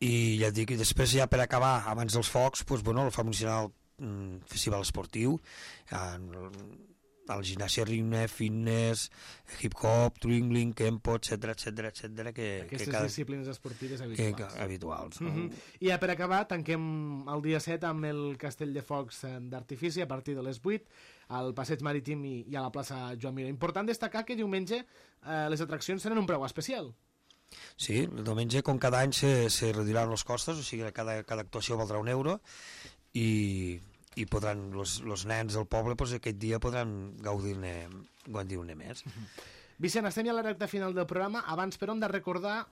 I ja et dic, i després ja per acabar, abans dels focs, doncs, bueno, el famosíssim mm, festival esportiu, el gimnàsia ritme, fitness, hip-hop, twinkling, kempo, etcètera, etcètera, etcètera, que... Aquestes que cada... disciplines esportives habituals. Que, que, habituals. No? Uh -huh. I ja per acabar, tanquem el dia set amb el Castell de Focs d'Artifici a partir de les vuit, al Passeig Marítim i, i a la plaça Joan Miró. Important destacar que diumenge eh, les atraccions tenen un preu especial. Sí, el diumenge, com cada any, se, se reduiran els costos, o sigui, cada, cada actuació valdrà un euro, i... i podran, els nens del poble pues, aquest dia podran gaudir-ne gaudir-ne més. Vicent, estem ja a la recta final del programa. Abans, però, hem de recordar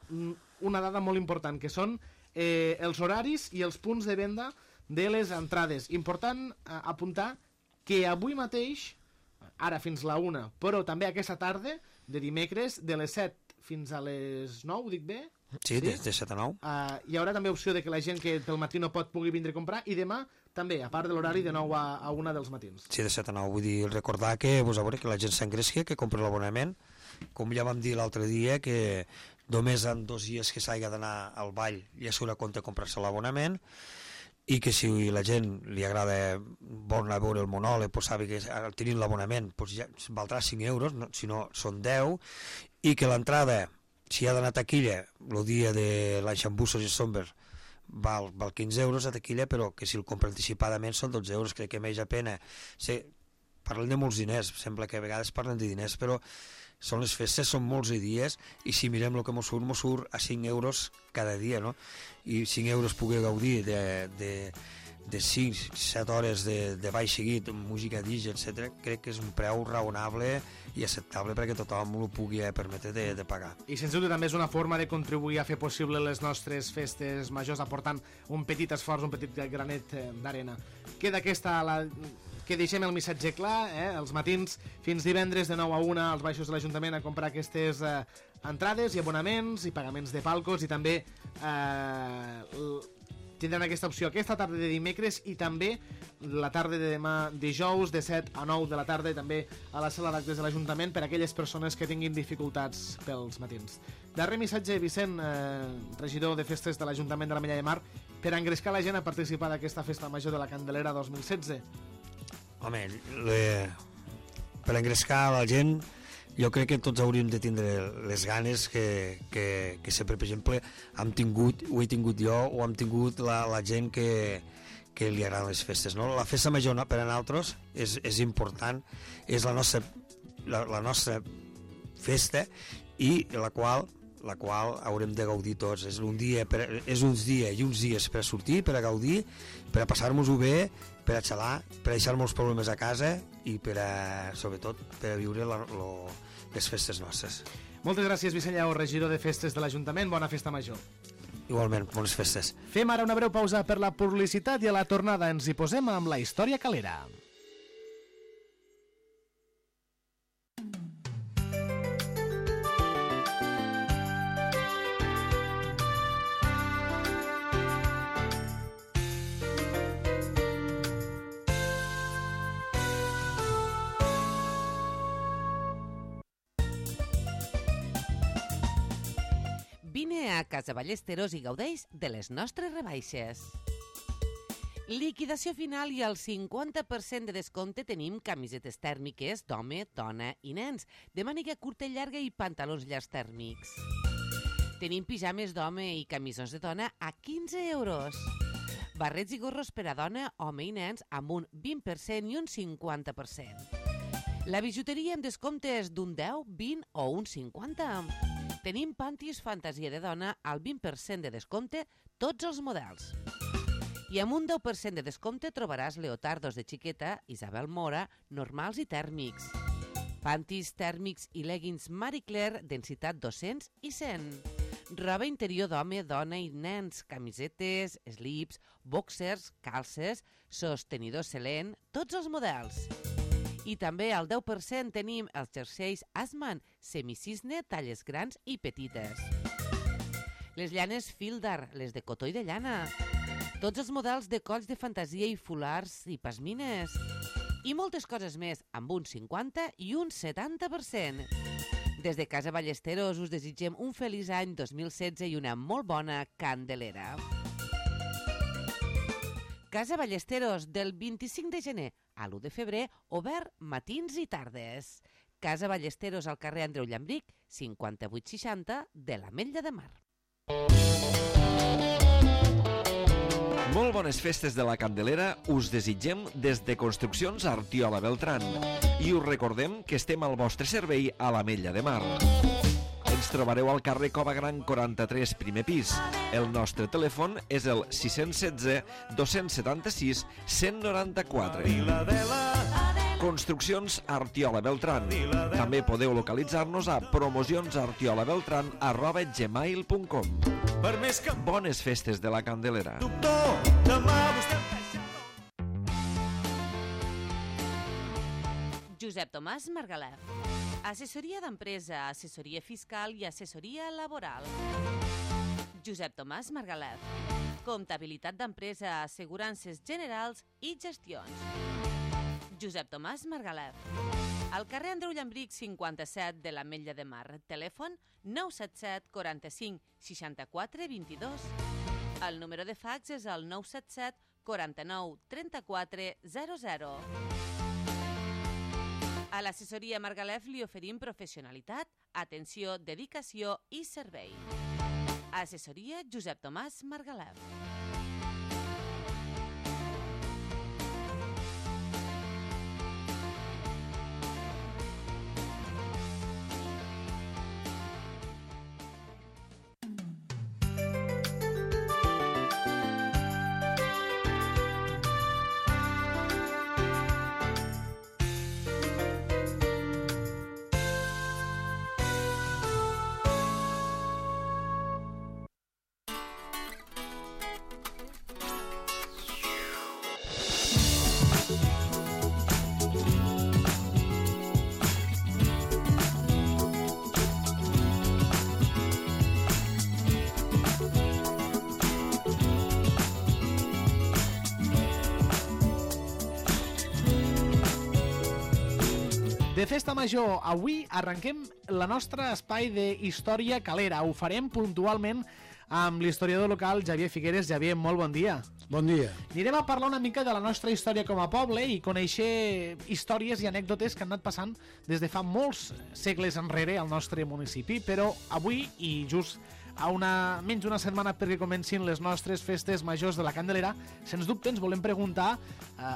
una dada molt important, que són eh, els horaris i els punts de venda de les entrades. Important eh, apuntar que avui mateix, ara fins la una, però també aquesta tarda, de dimecres, de les set fins a les nou, dic bé? Sí, sí? De, de set a nou. Uh, hi haurà també opció de que la gent que pel matí no pot pugui vindre a comprar, i demà també, a part de l'horari de nou a, a una dels matins. Sí, de set a nou. Vull dir, recordar que, pues, a veure, que la gent s'engresqui, que compri l'abonament, com ja vam dir l'altre dia, que només en dos dies que s'hagi d'anar al ball ja s'haurà compte comprar-se l'abonament, i que si la gent li agrada vol anar a veure el monòleg, pues, sabi que tenint l'abonament pues, ja valdrà cinc euros, no, si no són deu, i que l'entrada, si ha d'anar a taquilla el dia de l'Aixambussos i Strombers, val, val quinze euros a taquilla, però que si el compra anticipadament són dotze euros, crec que més a pena. Sí, parlen de molts diners, sembla que a vegades parlen de diners, però són les festes, són molts dies, i si mirem el que mos surt, mos surt a cinc euros cada dia, no? I cinc euros poder gaudir de, de, de cinc set hores de, de ball seguit, música D J, etcètera, crec que és un preu raonable i acceptable perquè tothom ho pugui permetre de, de pagar. I sens dubte també és una forma de contribuir a fer possible les nostres festes majors aportant un petit esforç, un petit granet d'arena. Queda aquesta la... que deixem el missatge clar, eh? Els matins fins divendres de nou a una als baixos de l'Ajuntament a comprar aquestes eh, entrades i abonaments i pagaments de palcos, i també eh, tindran aquesta opció aquesta tarda de dimecres i també la tarda de demà dijous de set a nou de la tarda, i també a la sala d'actes de l'Ajuntament per a aquelles persones que tinguin dificultats pels matins. Darrer missatge, Vicent, eh, regidor de festes de l'Ajuntament de l'Ametlla de Mar, per engrescar la gent a participar d'aquesta festa major de la Candelera dos mil setze. Home, le... per engrescar la gent, jo crec que tots hauríem de tindre les ganes que, que, que sempre, per exemple, hem tingut, ho he tingut jo, o hem tingut la, la gent que, que li agraden les festes, no? La festa major per a nosaltres és, és important, és la nostra, la, la nostra festa, i la qual la qual haurem de gaudir tots. És un dia, per, és uns dies i uns dies per a sortir, per a gaudir, per a passar-nos-ho bé, per a xalar, per a deixar molts problemes a casa i per a, sobretot, per a viure la, lo, les festes nostres. Moltes gràcies, Vicent Lleó, regidor de festes de l'Ajuntament. Bona festa major. Igualment, bones festes. Fem ara una breu pausa per la publicitat i a la tornada ens hi posem amb la història calera. Vine a Casa Ballesteros i gaudeix de les nostres rebaixes. Liquidació final i al cinquanta per cent de descompte tenim camisetes tèrmiques d'home, dona i nens, de màniga curta i llarga i pantalons llargs tèrmics. Tenim pijames d'home i camisons de dona a quinze euros. Barrets i gorros per a dona, home i nens amb un vint per cent i un cinquanta per cent. La bijuteria amb descomptes d'un deu, vint o un cinquanta per cent. Tenim pantis fantasia de dona al vint per cent de descompte, tots els models. I amb un deu per cent de descompte trobaràs leotardos de xiqueta, Isabel Mora, normals i tèrmics. Pantis tèrmics i leggings Marie Claire, densitat dos-cents i cent. Roba interior d'home, dona i nens, camisetes, slips, boxers, calces, sostenidors Selene, tots els models. I també al deu per cent tenim els jerseis Asman, semicisne, talles grans i petites. Les llanes Fildar, les de cotó i de llana. Tots els models de colls de fantasia i fulars i pasmines. I moltes coses més, amb un cinquanta i un setanta per cent. Des de Casa Ballesteros us desitgem un feliç any dos mil setze i una molt bona Candelera. Casa Ballesteros, del vint-i-cinc de gener a l'u de febrer, obert matins i tardes. Casa Ballesteros al carrer Andreu Llambric, cinquanta-vuit seixanta de l'Ametlla de Mar. Molt bones festes de la Candelera us desitgem des de Construccions Artiola Beltrán i us recordem que estem al vostre servei a l'Ametlla de Mar. Ens trobareu al carrer Cova Gran quaranta-tres, primer pis. El nostre telèfon és el sis un set, dos set sis, un zero nou quatre. Construccions Artiola Beltrán. També podeu localitzar-nos a promocions-artiolabeltran arroba gmail punt com. Bones festes de la Candelera. Josep Tomàs Margalef. Assessoria d'empresa, assessoria fiscal i assessoria laboral. Josep Tomàs Margalef. Comptabilitat d'empresa, assegurances generals i gestions. Josep Tomàs Margalef. Al carrer Andreu Llambric cinquanta-set de l'Ametlla de Mar. Telèfon nou set set, quaranta-cinc, seixanta-quatre, vint-i-dos. El número de fax és el nou set set, quaranta-nou, trenta-quatre, zero zero. A l'assessoria Margalef li oferim professionalitat, atenció, dedicació i servei. Assessoria Josep Tomàs Margalef. De Festa Major, avui arrenquem la nostra espai d'història calera. Ho farem puntualment amb l'historiador local Xavier Figueres. Xavier, molt bon dia. Bon dia. Anirem a parlar una mica de la nostra història com a poble i conèixer històries i anècdotes que han anat passant des de fa molts segles enrere al nostre municipi, però avui, i just a una, menys d'una setmana perquè comencin les nostres festes majors de la Candelera, sens dubte ens volem preguntar eh,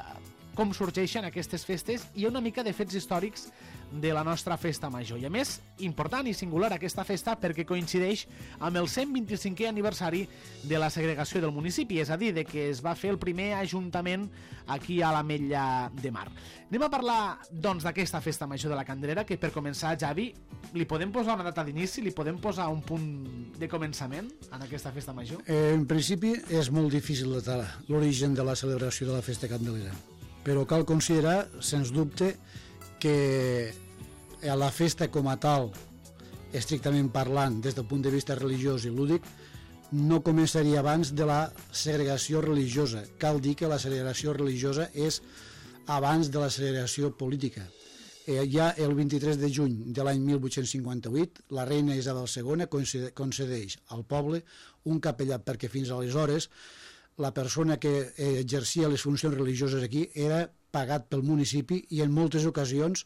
com sorgeixen aquestes festes i una mica de fets històrics de la nostra festa major. I a més, important i singular aquesta festa perquè coincideix amb el cent vint-i-cinquè aniversari de la segregació del municipi, és a dir, de que es va fer el primer ajuntament aquí a l'Ametlla de Mar. Anem a parlar, doncs, d'aquesta festa major de la Candelera, que per començar, Javi, li podem posar una data d'inici, li podem posar un punt de començament en aquesta festa major? Eh, en principi és molt difícil datar l'origen de la celebració de la festa candelera, però cal considerar, sens dubte, que la festa com a tal, estrictament parlant, des del punt de vista religiós i lúdic, no començaria abans de la segregació religiosa. Cal dir que la segregació religiosa és abans de la segregació política. Eh, ja el vint-i-tres de juny de l'any mil vuit-cents cinquanta-vuit, la reina Isabel segona concedeix al poble un capellà, perquè fins aleshores la persona que exercia les funcions religioses aquí era pagat pel municipi i en moltes ocasions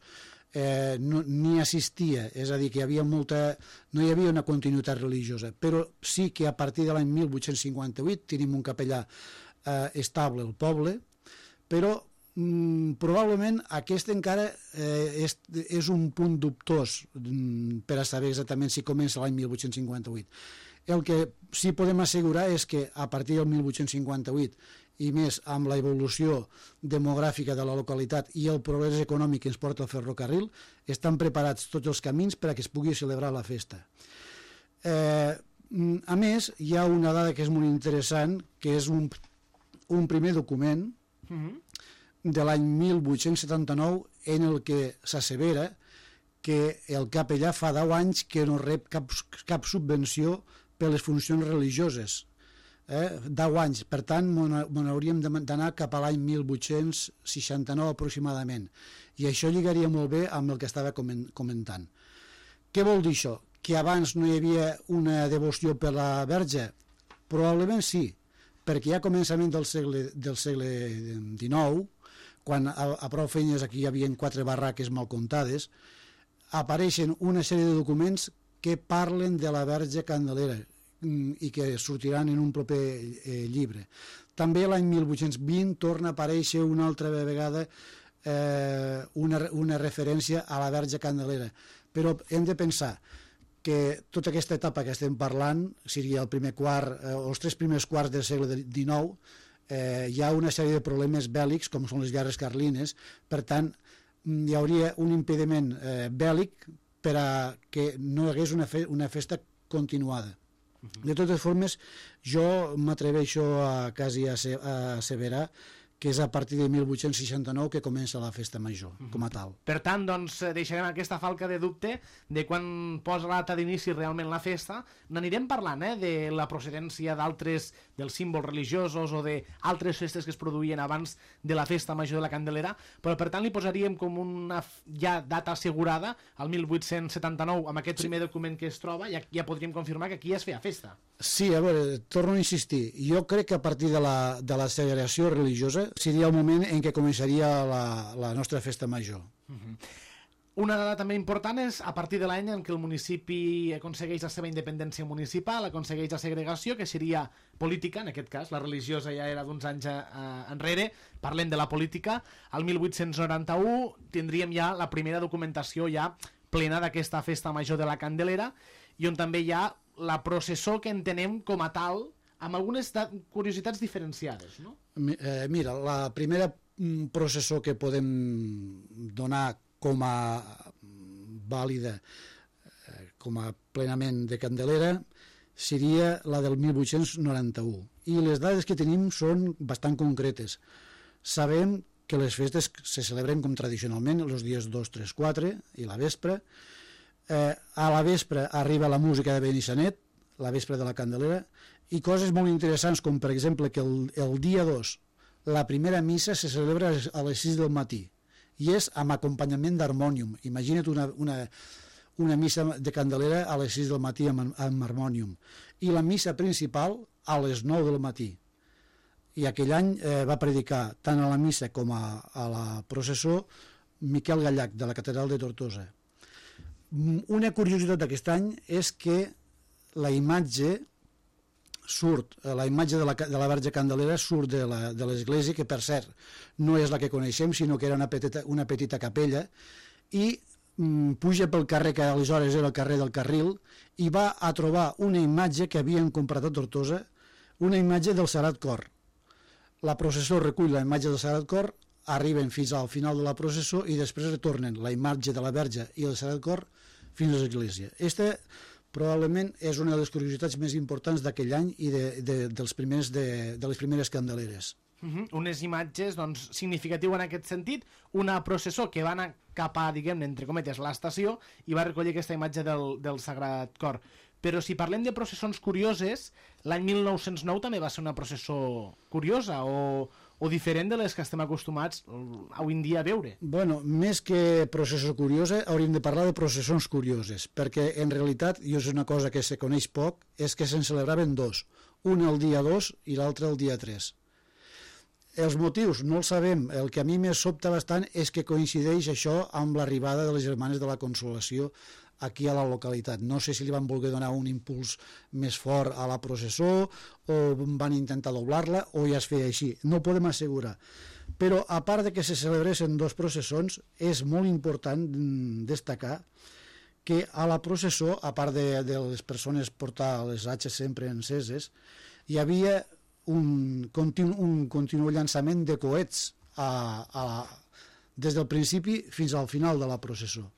eh, no, ni assistia, és a dir, que hi havia molta, no hi havia una continuïtat religiosa, però sí que a partir de l'any mil vuit-cents cinquanta-vuit tenim un capellà eh, estable al poble, però mm, probablement aquest encara eh, és, és un punt dubtós mm, per a saber exactament si comença l'any mil vuit-cents cinquanta-vuit. El que sí podem assegurar és que a partir del mil vuit-cents cinquanta-vuit i més amb la evolució demogràfica de la localitat i el progrés econòmic que ens porta el ferrocarril, estan preparats tots els camins per a que es pugui celebrar la festa. Eh, a més, hi ha una dada que és molt interessant, que és un, un primer document de l'any mil vuit-cents setanta-nou en el que s'assevera que el capellà fa deu anys que no rep cap, cap subvenció per les funcions religioses. Eh? deu anys, per tant, me n'hauríem d'anar cap a l'any mil vuit-cents seixanta-nou aproximadament. I això lligaria molt bé amb el que estava comentant. Què vol dir això? Que abans no hi havia una devoció per la Verge? Probablement sí, perquè ja a començament del segle, del segle dinou, quan a, a prou feines aquí hi havia quatre barraques mal comptades, apareixen una sèrie de documents que parlen de la Verge Candelera i que sortiran en un proper eh, llibre. També l'any mil vuit-cents vint torna a aparèixer una altra vegada eh, una, una referència a la Verge Candelera. Però hem de pensar que tota aquesta etapa que estem parlant, seria el primer quart, eh, els tres primers quarts del segle dinou, eh, hi ha una sèrie de problemes bèl·lics, com són les guerres carlines, per tant, hi hauria un impediment eh, bèl·lic per a que no hi hagués una, fe, una festa continuada. De totes formes, jo m'atreveixo a quasi a, se, a asseverar que és a partir de mil vuit-cents seixanta-nou que comença la festa major, com a tal. Per tant, doncs, deixarem aquesta falca de dubte de quan posa la data d'inici realment la festa. N'anirem parlant, eh, de la procedència d'altres, dels símbols religiosos o d'altres festes que es produïen abans de la festa major de la Candelera, però per tant li posaríem com una ja data assegurada, al mil vuit-cents setanta-nou, amb aquest primer document que es troba, ja, ja podríem confirmar que aquí es feia festa. Sí, a veure, torno a insistir. Jo crec que a partir de la, de la segregació religiosa seria el moment en què començaria la, la nostra festa major. Uh-huh. Una dada també important és a partir de l'any en què el municipi aconsegueix la seva independència municipal, aconsegueix la segregació, que seria política, en aquest cas, la religiosa ja era d'uns anys eh, enrere, parlem de la política. Al mil vuit-cents noranta-u tindríem ja la primera documentació ja plena d'aquesta festa major de la Candelera, i on també hi ha la processó que entenem com a tal, amb algunes curiositats diferenciades, no? Eh, mira, la primera processó que podem donar com a vàlida, eh, com a plenament de Candelera, seria la del mil vuit-cents noranta-u. I les dades que tenim són bastant concretes. Sabem que les festes se celebren com tradicionalment els dies dos, tres, quatre i la vespre. Eh, a la vespre arriba la música de Benissanet, la vespre de la Candelera, i coses molt interessants com per exemple que el, el dia dos la primera missa se celebra a les sis del matí i és amb acompanyament d'harmònium. Imagina't una, una, una missa de Candelera a les sis del matí amb, amb harmònium, i la missa principal a les nou del matí. I aquell any eh, va predicar tant a la missa com a, a la processó Miquel Gallach, de la catedral de Tortosa. Una curiositat d'aquest any és que la imatge surt, la imatge de la, de la Verge Candelera surt de la, de l'església, que per cert no és la que coneixem, sinó que era una petita, una petita capella, i mm, puja pel carrer que aleshores era el carrer del Carril, i va a trobar una imatge que havien comprat a Tortosa, una imatge del Sagrat Cor. La processó recull la imatge del Sagrat Cor, arriben fins al final de la processó i després retornen la imatge de la Verge i el Sagrat Cor fins a l'església. Aquesta probablement és una de les curiositats més importants d'aquell any i de, de, dels primers de, de les primeres Candeleres. Uh -huh. Unes imatges doncs, significatives en aquest sentit, una processó que va anar cap a, diguem-ne, entre cometes, l'estació i va recollir aquesta imatge del, del Sagrat Cor. Però si parlem de processons curioses, l'any mil nou-cents nou també va ser una processó curiosa o, o diferent de les que estem acostumats avui en dia a veure. Bueno, més que processó curiosa, hauríem de parlar de processons curioses, perquè en realitat, i és una cosa que se coneix poc, és que se'n celebraven dos, un el dia dos i l'altre el dia tres. Els motius no els sabem, el que a mi més sobta bastant és que coincideix això amb l'arribada de les Germanes de la Consolació aquí a la localitat. No sé si li van voler donar un impuls més fort a la processó o van intentar doblar-la o ja es feia així, no ho podem assegurar. Però a part de que se celebressin dos processons, és molt important destacar que a la processó, a part de, de les persones portar les atxes sempre enceses, hi havia un continu, un continu llançament de coets a, a, des del principi fins al final de la processó.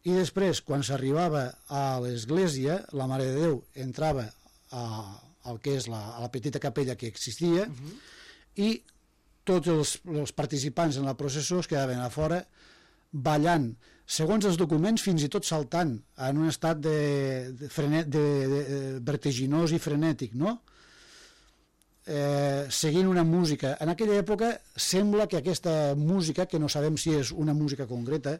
I després, quan s'arribava a l'església, la Mare de Déu entrava a, al que és la, a la petita capella que existia, uh-huh. i tots els, els participants en la processó es quedaven a fora ballant, segons els documents, fins i tot saltant, en un estat de, de, frenet, de, de, de vertiginós i frenètic, no? Eh, seguint una música. En aquella època sembla que aquesta música, que no sabem si és una música concreta,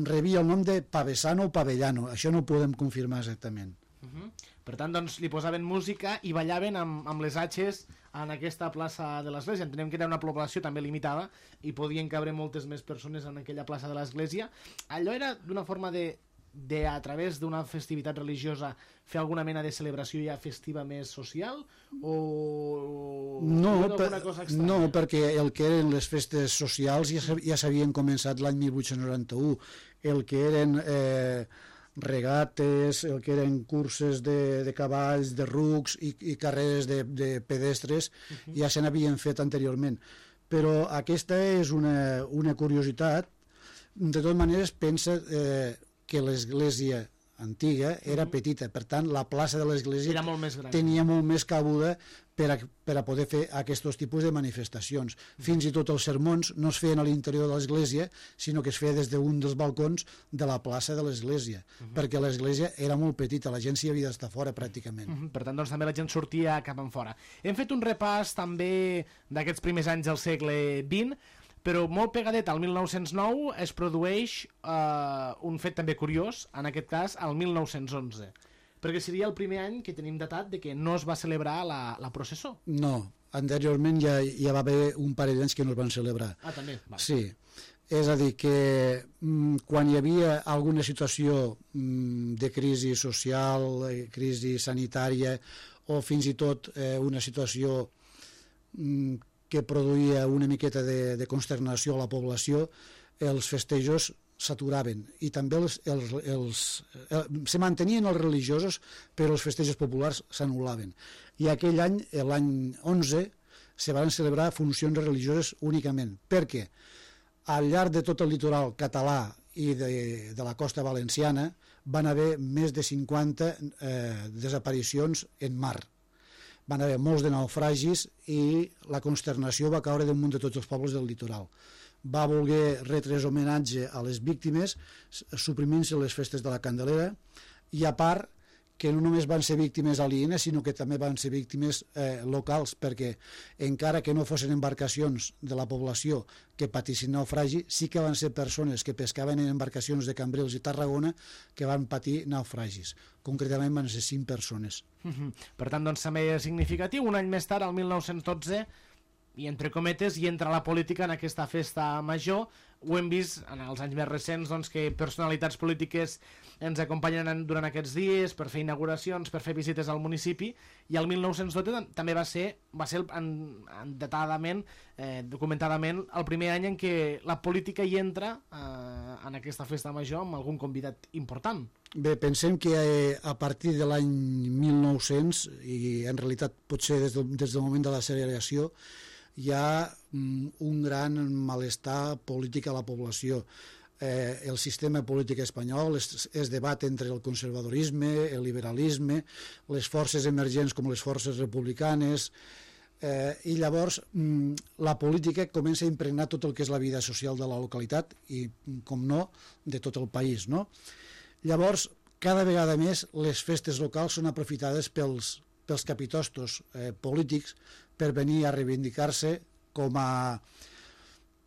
rebia el nom de pavesano o pavellano, això no ho podem confirmar exactament. Uh-huh. Per tant, doncs, li posaven música i ballaven amb, amb les atxes en aquesta plaça de l'església. Entenem que era una població també limitada i podien cabre moltes més persones en aquella plaça de l'església. Allò era d'una forma de, de a través d'una festivitat religiosa, fer alguna mena de celebració ja festiva més social? O no, o per, cosa no, perquè el que eren les festes socials ja, ja s'havien començat l'any mil vuit-cents noranta-u. El que eren eh, regates, el que eren curses de, de cavalls, de rucs i, i carreres de, de pedestres, uh-huh. ja se n'havien fet anteriorment. Però aquesta és una, una curiositat. De totes maneres, pensa eh, que l'església antiga era petita, per tant la plaça de l'església era molt més gran. Tenia molt més cabuda per a, per a poder fer aquests tipus de manifestacions. Fins i tot els sermons no es feien a l'interior de l'església, sinó que es feia des d'un dels balcons de la plaça de l'església, uh -huh. perquè l'església era molt petita, la gent s'hi havia d'estar fora pràcticament. Uh -huh. Per tant, doncs, també la gent sortia cap en fora. Hem fet un repàs també d'aquests primers anys del segle vint, però molt pegadet al mil nou-cents nou es produeix eh, un fet també curiós, en aquest cas al mil nou-cents onze, perquè seria el primer any que tenim datat de que no es va celebrar la, la processó. No, anteriorment ja, ja va haver un parell d'anys que no es van celebrar. Ah, també? Vale. Sí, és a dir que mm, quan hi havia alguna situació mm, de crisi social, eh, crisi sanitària o fins i tot eh, una situació mm, que produïa una miqueta de, de consternació a la població, els festejos s'aturaven i també els, els, els, els, se mantenien els religiosos, però els festejos populars s'anul·laven. I aquell any, l'any onze, se van celebrar funcions religioses únicament, perquè al llarg de tot el litoral català i de, de la costa valenciana van haver més de cinquanta eh, desaparicions en mar. Van haver molts de naufragis i la consternació va caure damunt de tots els pobles del litoral. Va voler retreure homenatge a les víctimes, suprimint-se les festes de la Candelera, i a part que no només van ser víctimes alienes, sinó que també van ser víctimes eh, locals, perquè encara que no fossin embarcacions de la població que patissin naufragi, sí que van ser persones que pescaven en embarcacions de Cambrils i Tarragona que van patir naufragis. Concretament van ser cinc persones. Uh-huh. Per tant, doncs, també és significatiu. Un any més tard, el mil nou-cents dotze, i entre cometes, hi entra la política en aquesta festa major. Ho hem vist en els anys més recents, doncs, que personalitats polítiques ens acompanyen durant aquests dies per fer inauguracions, per fer visites al municipi, i el mil nou-cents dotze també va ser, va ser en, en datadament, eh, documentadament, el primer any en què la política hi entra eh, en aquesta festa major amb algun convidat important. Bé, pensem que eh, a partir de l'any mil nou-cents, i en realitat potser des del, des del moment de la segregació, hi ha mm, un gran malestar polític a la població. Eh, el sistema polític espanyol es, es debat entre el conservadorisme, el liberalisme, les forces emergents com les forces republicanes, eh, i llavors mm, la política comença a impregnar tot el que és la vida social de la localitat i, com no, de tot el país, no? Llavors, cada vegada més les festes locals són aprofitades pels, pels capitostos eh, polítics per venir a reivindicar-se com a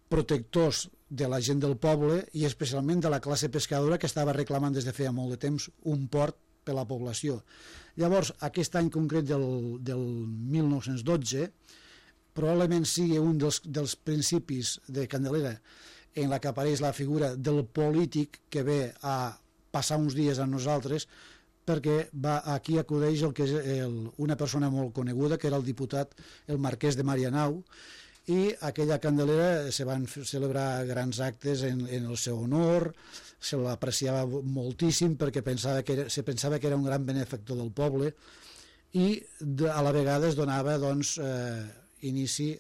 protectors de la gent del poble i especialment de la classe pescadora que estava reclamant des de feia molt de temps un port per la població. Llavors, aquest any concret del, del mil nou-cents dotze probablement sigui un dels, dels principis de Candelera en la que apareix la figura del polític que ve a passar uns dies amb nosaltres, perquè va, aquí acudeix el que és el, una persona molt coneguda, que era el diputat, el marquès de Marianao, i aquella Candelera se van celebrar grans actes en, en el seu honor, se l'apreciava moltíssim perquè pensava que era, se pensava que era un gran benefactor del poble, i de, a la vegada es donava doncs, eh, inici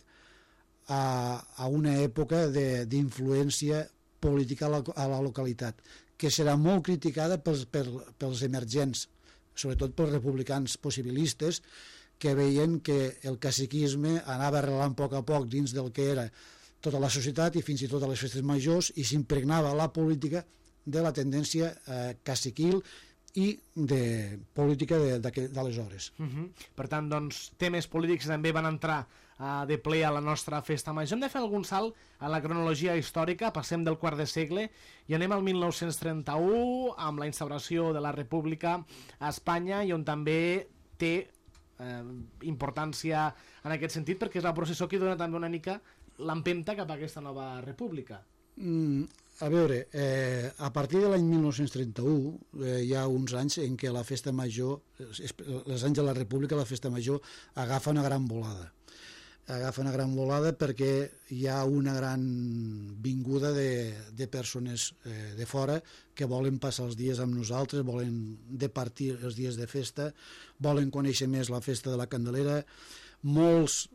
a, a una època d'influència política a la, a la localitat, que serà molt criticada pels, per, pels emergents, sobretot pels republicans possibilistes, que veien que el caciquisme anava arrelant a poc a poc dins del que era tota la societat i fins i tot a les festes majors, i s'impregnava la política de la tendència eh, caciquil i de política d'aleshores. Uh -huh. Per tant, doncs, temes polítics també van entrar uh, de ple a la nostra festa major. Hem de fer algun salt a la cronologia històrica, passem del quart de segle i anem al mil nou-cents trenta-u amb la instauració de la República a Espanya, i on també té eh, importància en aquest sentit, perquè és la processó que dona també una mica l'empenta cap a aquesta nova república. Mm, a veure, eh, a partir de l'any mil nou-cents trenta-u eh, hi ha uns anys en què la festa major, els anys de la República, la festa major agafa una gran volada. Agafa una gran volada perquè hi ha una gran vinguda de, de persones eh, de fora que volen passar els dies amb nosaltres, volen departir els dies de festa, volen conèixer més la festa de la Candelera. Molts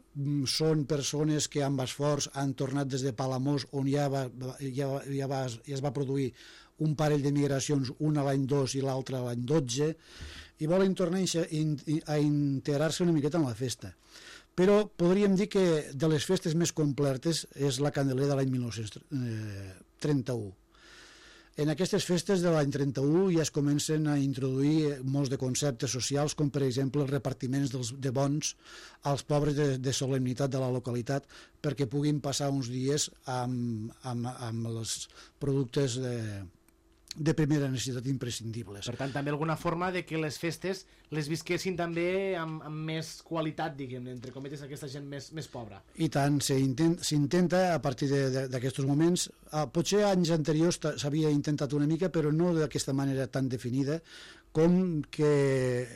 són persones que amb esforç han tornat des de Palamós, on ja, va, ja, ja, va, ja es va produir un parell de migracions, una l'any dos i l'altra l'any dotze, i volen tornar a integrar-se una miqueta en la festa. Però podríem dir que de les festes més completes és la Candelera de l'any mil nou-cents trenta-u. En aquestes festes de l'any trenta-u ja es comencen a introduir molts de conceptes socials, com per exemple els repartiments dels, de bons als pobres de, de solemnitat de la localitat, perquè puguin passar uns dies amb, amb, amb els productes de, de primera necessitat imprescindibles. Per tant, també alguna forma de que les festes les visquessin també amb, amb més qualitat, diguem, entre cometes, aquesta gent més, més pobra. I tant, s'intenta a partir d'aquests moments. Ah, potser anys anteriors s'havia intentat una mica, però no d'aquesta manera tan definida, com que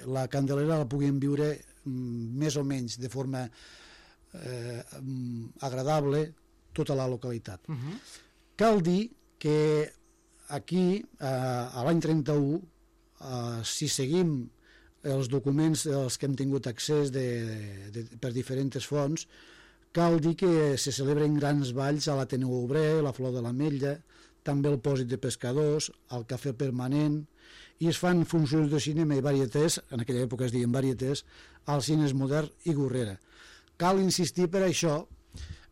la Candelera la puguin viure mm, més o menys de forma eh, agradable tota la localitat. Uh-huh. Cal dir que aquí, eh, a l'any trenta-u, eh, si seguim els documents als que hem tingut accés de, de, per diferents fonts, cal dir que se celebren grans balls a l'Ateneu Obrer, la Flor de l'Ametlla, també el Pòsit de Pescadors, el Cafè Permanent, i es fan funcions de cinema i varietés, en aquella època es deien varietés, als cines Modern i Gorrera. Cal insistir per això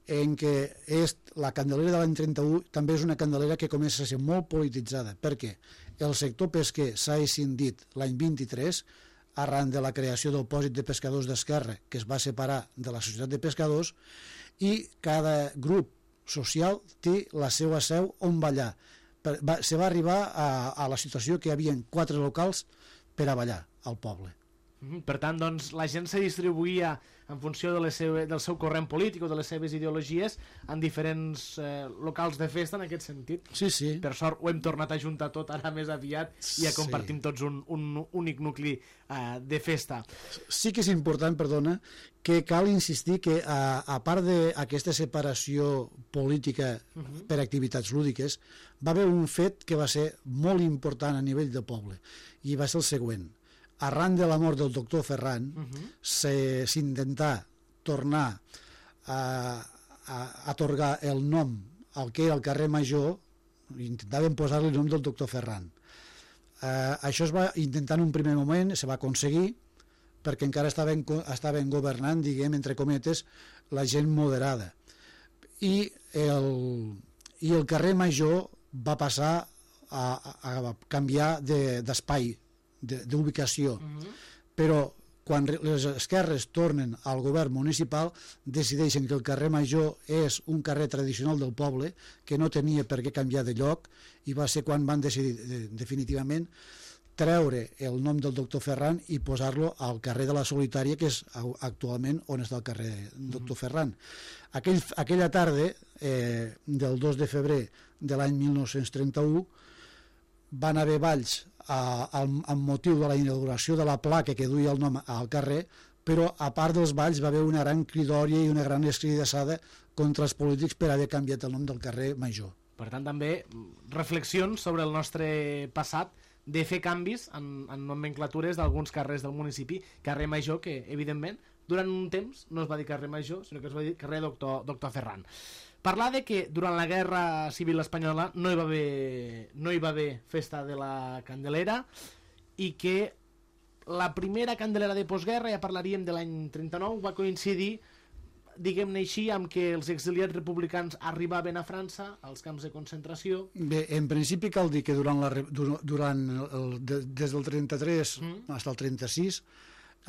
en què és, la Candelera de l'any trenta-u també és una Candelera que comença a ser molt polititzada, perquè el sector pesquer s'ha escindit l'any vint-i-tres arran de la creació del Pòsit de Pescadors d'Esquerra, que es va separar de la Societat de Pescadors, i cada grup social té la seva seu on ballar. Va, se va arribar a, a la situació que hi havia quatre locals per a ballar al poble. Per tant, doncs, la gent se distribuïa en funció de les seves, del seu corrent polític o de les seves ideologies en diferents eh, locals de festa en aquest sentit. Sí, sí. Per sort ho hem tornat a juntar tot ara més aviat i ja compartim sí. tots un, un únic nucli eh, de festa. Sí que és important, perdona, que cal insistir que a, a part d'aquesta separació política uh -huh. per activitats lúdiques, va haver un fet que va ser molt important a nivell del poble i va ser el següent. Arran de la mort del doctor Ferran, uh -huh. s'intentà tornar a, a atorgar el nom al que era el carrer Major, intentaven posar-li el nom del doctor Ferran. Eh, això es va intentar en un primer moment, se va aconseguir, perquè encara estaven, estaven governant, diguem, entre cometes, la gent moderada. I el, i el carrer Major va passar a, a, a canviar d'espai, de, d'ubicació. Uh-huh. Però quan les esquerres tornen al govern municipal decideixen que el carrer Major és un carrer tradicional del poble que no tenia per què canviar de lloc, i va ser quan van decidir definitivament treure el nom del doctor Ferran i posar-lo al carrer de la Solitària, que és actualment on està el carrer doctor Ferran. Aquell, aquella tarda eh, del dos de febrer de l'any mil nou-cents trenta-u van haver balls a, a, amb motiu de la inauguració de la placa que duia el nom al carrer, però a part dels balls va haver una gran cridòria i una gran escridassada contra els polítics per haver canviat el nom del carrer Major. Per tant, també reflexions sobre el nostre passat de fer canvis en, en nomenclatures d'alguns carrers del municipi. Carrer Major, que evidentment durant un temps no es va dir carrer Major, sinó que es va dir carrer Doctor, Doctor Ferran. Parlar de que durant la Guerra Civil Espanyola no hi va haver, no hi va haver festa de la Candelera, i que la primera Candelera de postguerra, ja parlaríem de l'any trenta-nou, va coincidir, diguem-ne així, amb que els exiliats republicans arribaven a França, als camps de concentració. Bé, en principi cal dir que durant, la, durant el, de, des del trenta-tres mm. fins al trenta-sis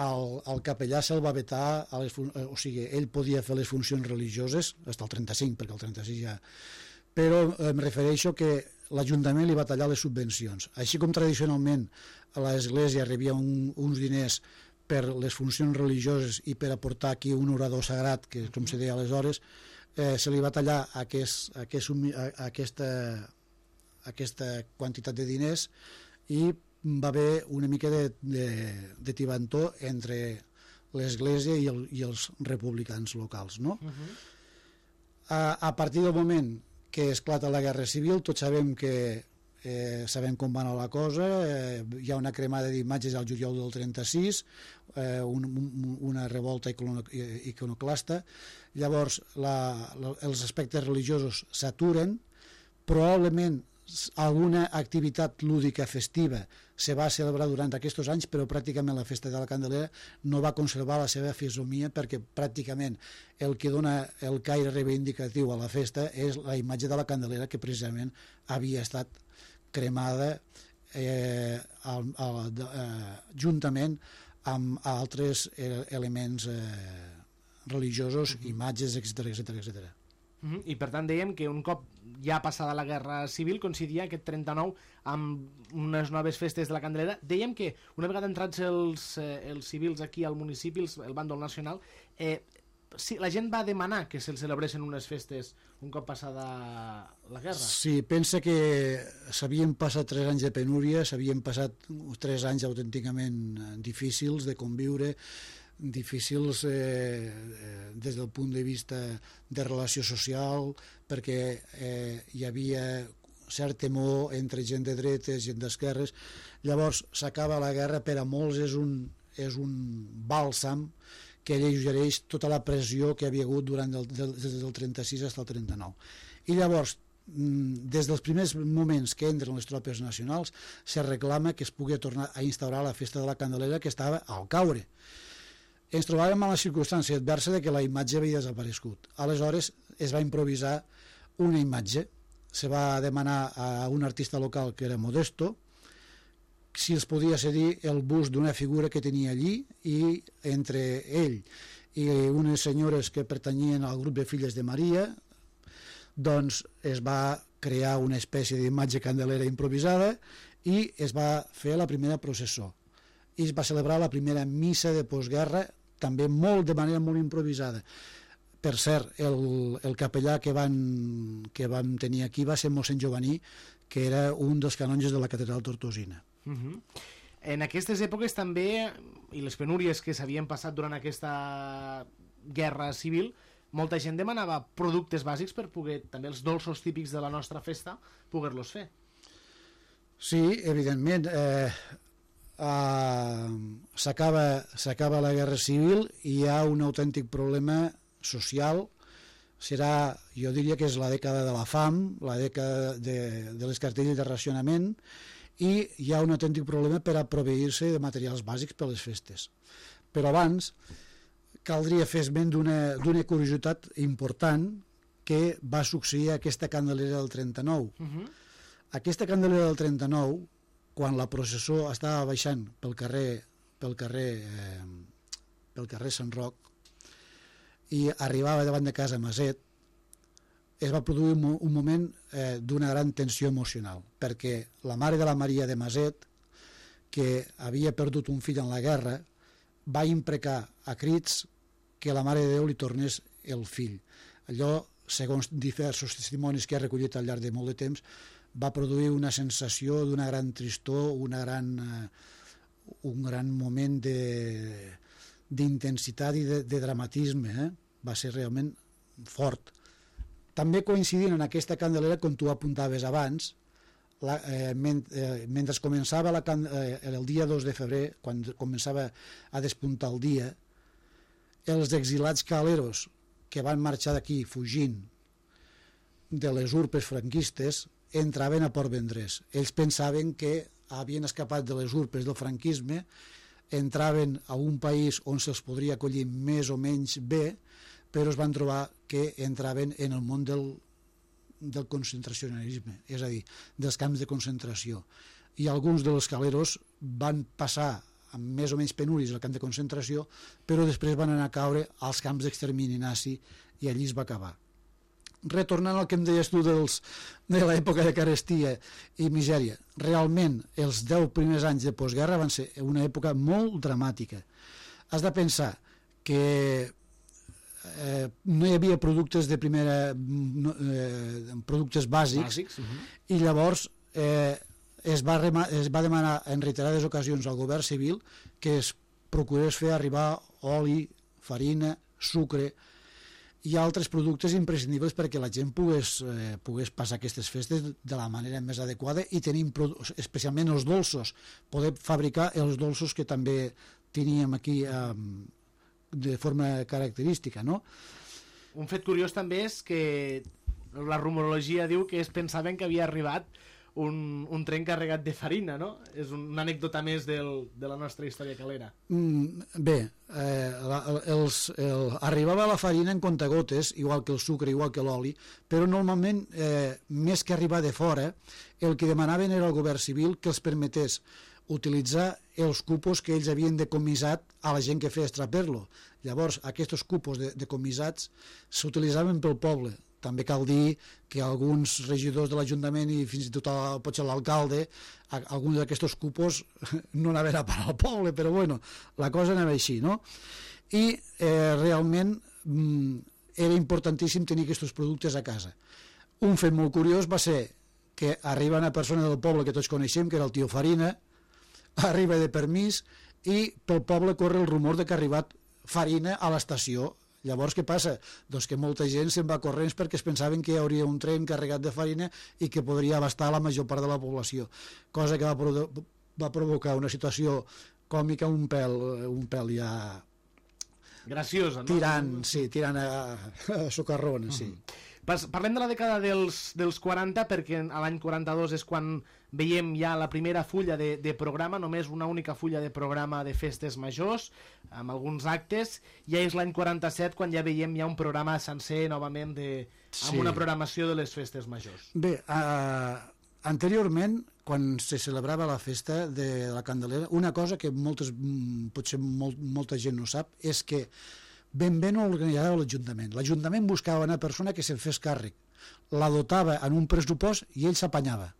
el, el capellà se'l va vetar, a les, o sigui, ell podia fer les funcions religioses fins al trenta-cinc, perquè el trenta-sis ja... Però em refereixo que l'Ajuntament li va tallar les subvencions. Així com tradicionalment l'Església rebia un, uns diners per les funcions religioses i per aportar aquí un orador sagrat, que com se deia aleshores, eh, se li va tallar aquest, aquest, aquesta, aquesta quantitat de diners, i va haver una mica de, de, de tibantó entre l'Església i, el, i els republicans locals, no? Uh-huh. a, a partir del moment que esclata la Guerra Civil, tots sabem que eh, sabem com va anar la cosa, eh, hi ha una cremada d'imatges al juliol del trenta-sis, eh, un, un, una revolta iconoclasta, llavors la, la, els aspectes religiosos s'aturen, probablement alguna activitat lúdica festiva se va celebrar durant aquests anys, però pràcticament la festa de la Candelera no va conservar la seva fisomia, perquè pràcticament el que dona el caire reivindicatiu a la festa és la imatge de la Candelera, que precisament havia estat cremada eh, al, al, eh, juntament amb altres eh, elements eh, religiosos, uh-huh. imatges, etcètera, etcètera, etcètera. Uh-huh. I per tant dèiem que un cop ja passada la Guerra Civil coincidia aquest trenta-nou amb unes noves festes de la Candelera. Dèiem que una vegada entrats els, eh, els civils aquí al municipi, els, el bàndol nacional, eh, sí, la gent va demanar que se'ls celebressin unes festes un cop passada la guerra. Sí, pensa que s'havien passat tres anys de penúria, s'havien passat tres anys autènticament difícils de conviure, difícils eh, des del punt de vista de relació social, perquè eh, hi havia cert temor entre gent de dretes, gent d'esquerres. Llavors s'acaba la guerra, per a molts és un, és un bàlsam que alleugereix tota la pressió que havia hagut durant el, del, des del trenta-sis fins al trenta-nou. I llavors, des dels primers moments que entren les tropes nacionals, se reclama que es pugui tornar a instaurar la festa de la Candelera, que estava al caure. ens trobàvem a la circumstància adversa de que la imatge havia desaparegut. Aleshores es va improvisar una imatge, se va demanar a un artista local que era Modesto si els podia cedir el bust d'una figura que tenia allí, i entre ell i unes senyores que pertanyien al grup de Filles de Maria, doncs es va crear una espècie d'imatge candelera improvisada i es va fer la primera processó i es va celebrar la primera missa de postguerra, també molt de manera molt improvisada. Per cert, el, el capellà que van, que vam tenir aquí va ser mossèn Jovaní, que era un dels canonges de la catedral tortosina. Uh -huh. En aquestes èpoques també, i les penúries que s'havien passat durant aquesta guerra civil, molta gent demanava productes bàsics per poder, també els dolços típics de la nostra festa, poder-los fer. Sí, evidentment. Eh, eh, s'acaba s'acaba la guerra civil i hi ha un autèntic problema social. Serà, jo diria que és la dècada de la fam, la dècada de, de les cartelles de racionament, i hi ha un autèntic problema per a proveir-se de materials bàsics per a les festes. Però abans caldria fer esment d'una d'una curiositat important que va succeir a aquesta candelera del trenta-nou. Uh-huh. Aquesta candelera del trenta-nou, quan la processó estava baixant pel carrer pel carrer eh, pel carrer Sant Roc i arribava davant de casa Maset, es va produir un, un moment eh, d'una gran tensió emocional, perquè la mare de la Maria de Maset, que havia perdut un fill en la guerra, va imprecar a crits que la Mare de Déu li tornés el fill. Allò, segons diversos testimonis que ha recollit al llarg de molt de temps, va produir una sensació d'una gran tristor, una gran, eh, un gran moment d'intensitat i de, de dramatisme. Eh? Va ser realment fort. També coincidint en aquesta candelera, com tu apuntaves abans, la, eh, ment, eh, mentre començava la, eh, el dia dos de febrer, quan començava a despuntar el dia, els exilats caleros que van marxar d'aquí fugint de les urpes franquistes entraven a Port Vendrés. Ells pensaven que havien escapat de les urpes del franquisme, entraven a un país on se'ls podria acollir més o menys bé, però es van trobar que entraven en el món del, del concentracionalisme, és a dir, dels camps de concentració. I alguns dels caleros van passar amb més o menys penúries al camp de concentració, però després van anar a caure als camps d'extermini nazi i allí es va acabar. Retornant al que em deies tu dels, de l'època de carestia i misèria, realment els deu primers anys de postguerra van ser una època molt dramàtica. Has de pensar que eh, no hi havia productes de primera no, eh, productes bàsics, bàsics uh-huh. i llavors eh, es, va rema, es va demanar en reiterades ocasions al govern civil que es procurés fer arribar oli, farina, sucre i altres productes imprescindibles perquè la gent pogués, eh, pogués passar aquestes festes de la manera més adequada i tenim especialment els dolços, poder fabricar els dolços que també teníem aquí eh, de forma característica, no? Un fet curiós també és que la rumorologia diu que es pensaven que havia arribat un, un tren carregat de farina, no? És una anècdota més del, de la nostra història calera. Mm, bé, eh, la, els, el, arribava la farina en contagotes, igual que el sucre, igual que l'oli, però normalment, eh, més que arribar de fora, el que demanaven era al govern civil que els permetés utilitzar els cupos que ells havien decomissat a la gent que feia extraperlo. Llavors, aquests cupos de, decomissats s'utilitzaven pel poble. També cal dir que alguns regidors de l'Ajuntament i fins i tot el, potser l'alcalde, alguns d'aquests cupos no anaven a parar al poble, però bueno, la cosa anava així, no? I eh, realment mm, era importantíssim tenir aquests productes a casa. Un fet molt curiós va ser que arriba una persona del poble que tots coneixem, que era el tio Farina, arriba de permís i pel poble corre el rumor de que ha arribat farina a l'estació. Llavors què passa? Doncs que molta gent se'n va corrents perquè es pensaven que hi hauria un tren carregat de farina i que podria abastar la major part de la població, cosa que va, provo va provocar una situació còmica un pèl, un pèl ja graciosa, no? Tirant, sí, tirant a, a socarrona, sí. Uh-huh. Parlem de la dècada dels, dels quaranta, perquè a l'any quaranta-dos és quan veiem ja la primera fulla de, de programa, només una única fulla de programa de festes majors, amb alguns actes. Ja és l'any quaranta-set quan ja veiem ja un programa sencer novament de, amb Sí. una programació de les festes majors. Bé, uh, anteriorment, quan se celebrava la festa de la Candelera, una cosa que moltes, mm, potser molt, molta gent no sap és que ben bé no organitzava l'Ajuntament. L'Ajuntament buscava una persona que se'n fes càrrec, la dotava en un pressupost i ell s'apanyava.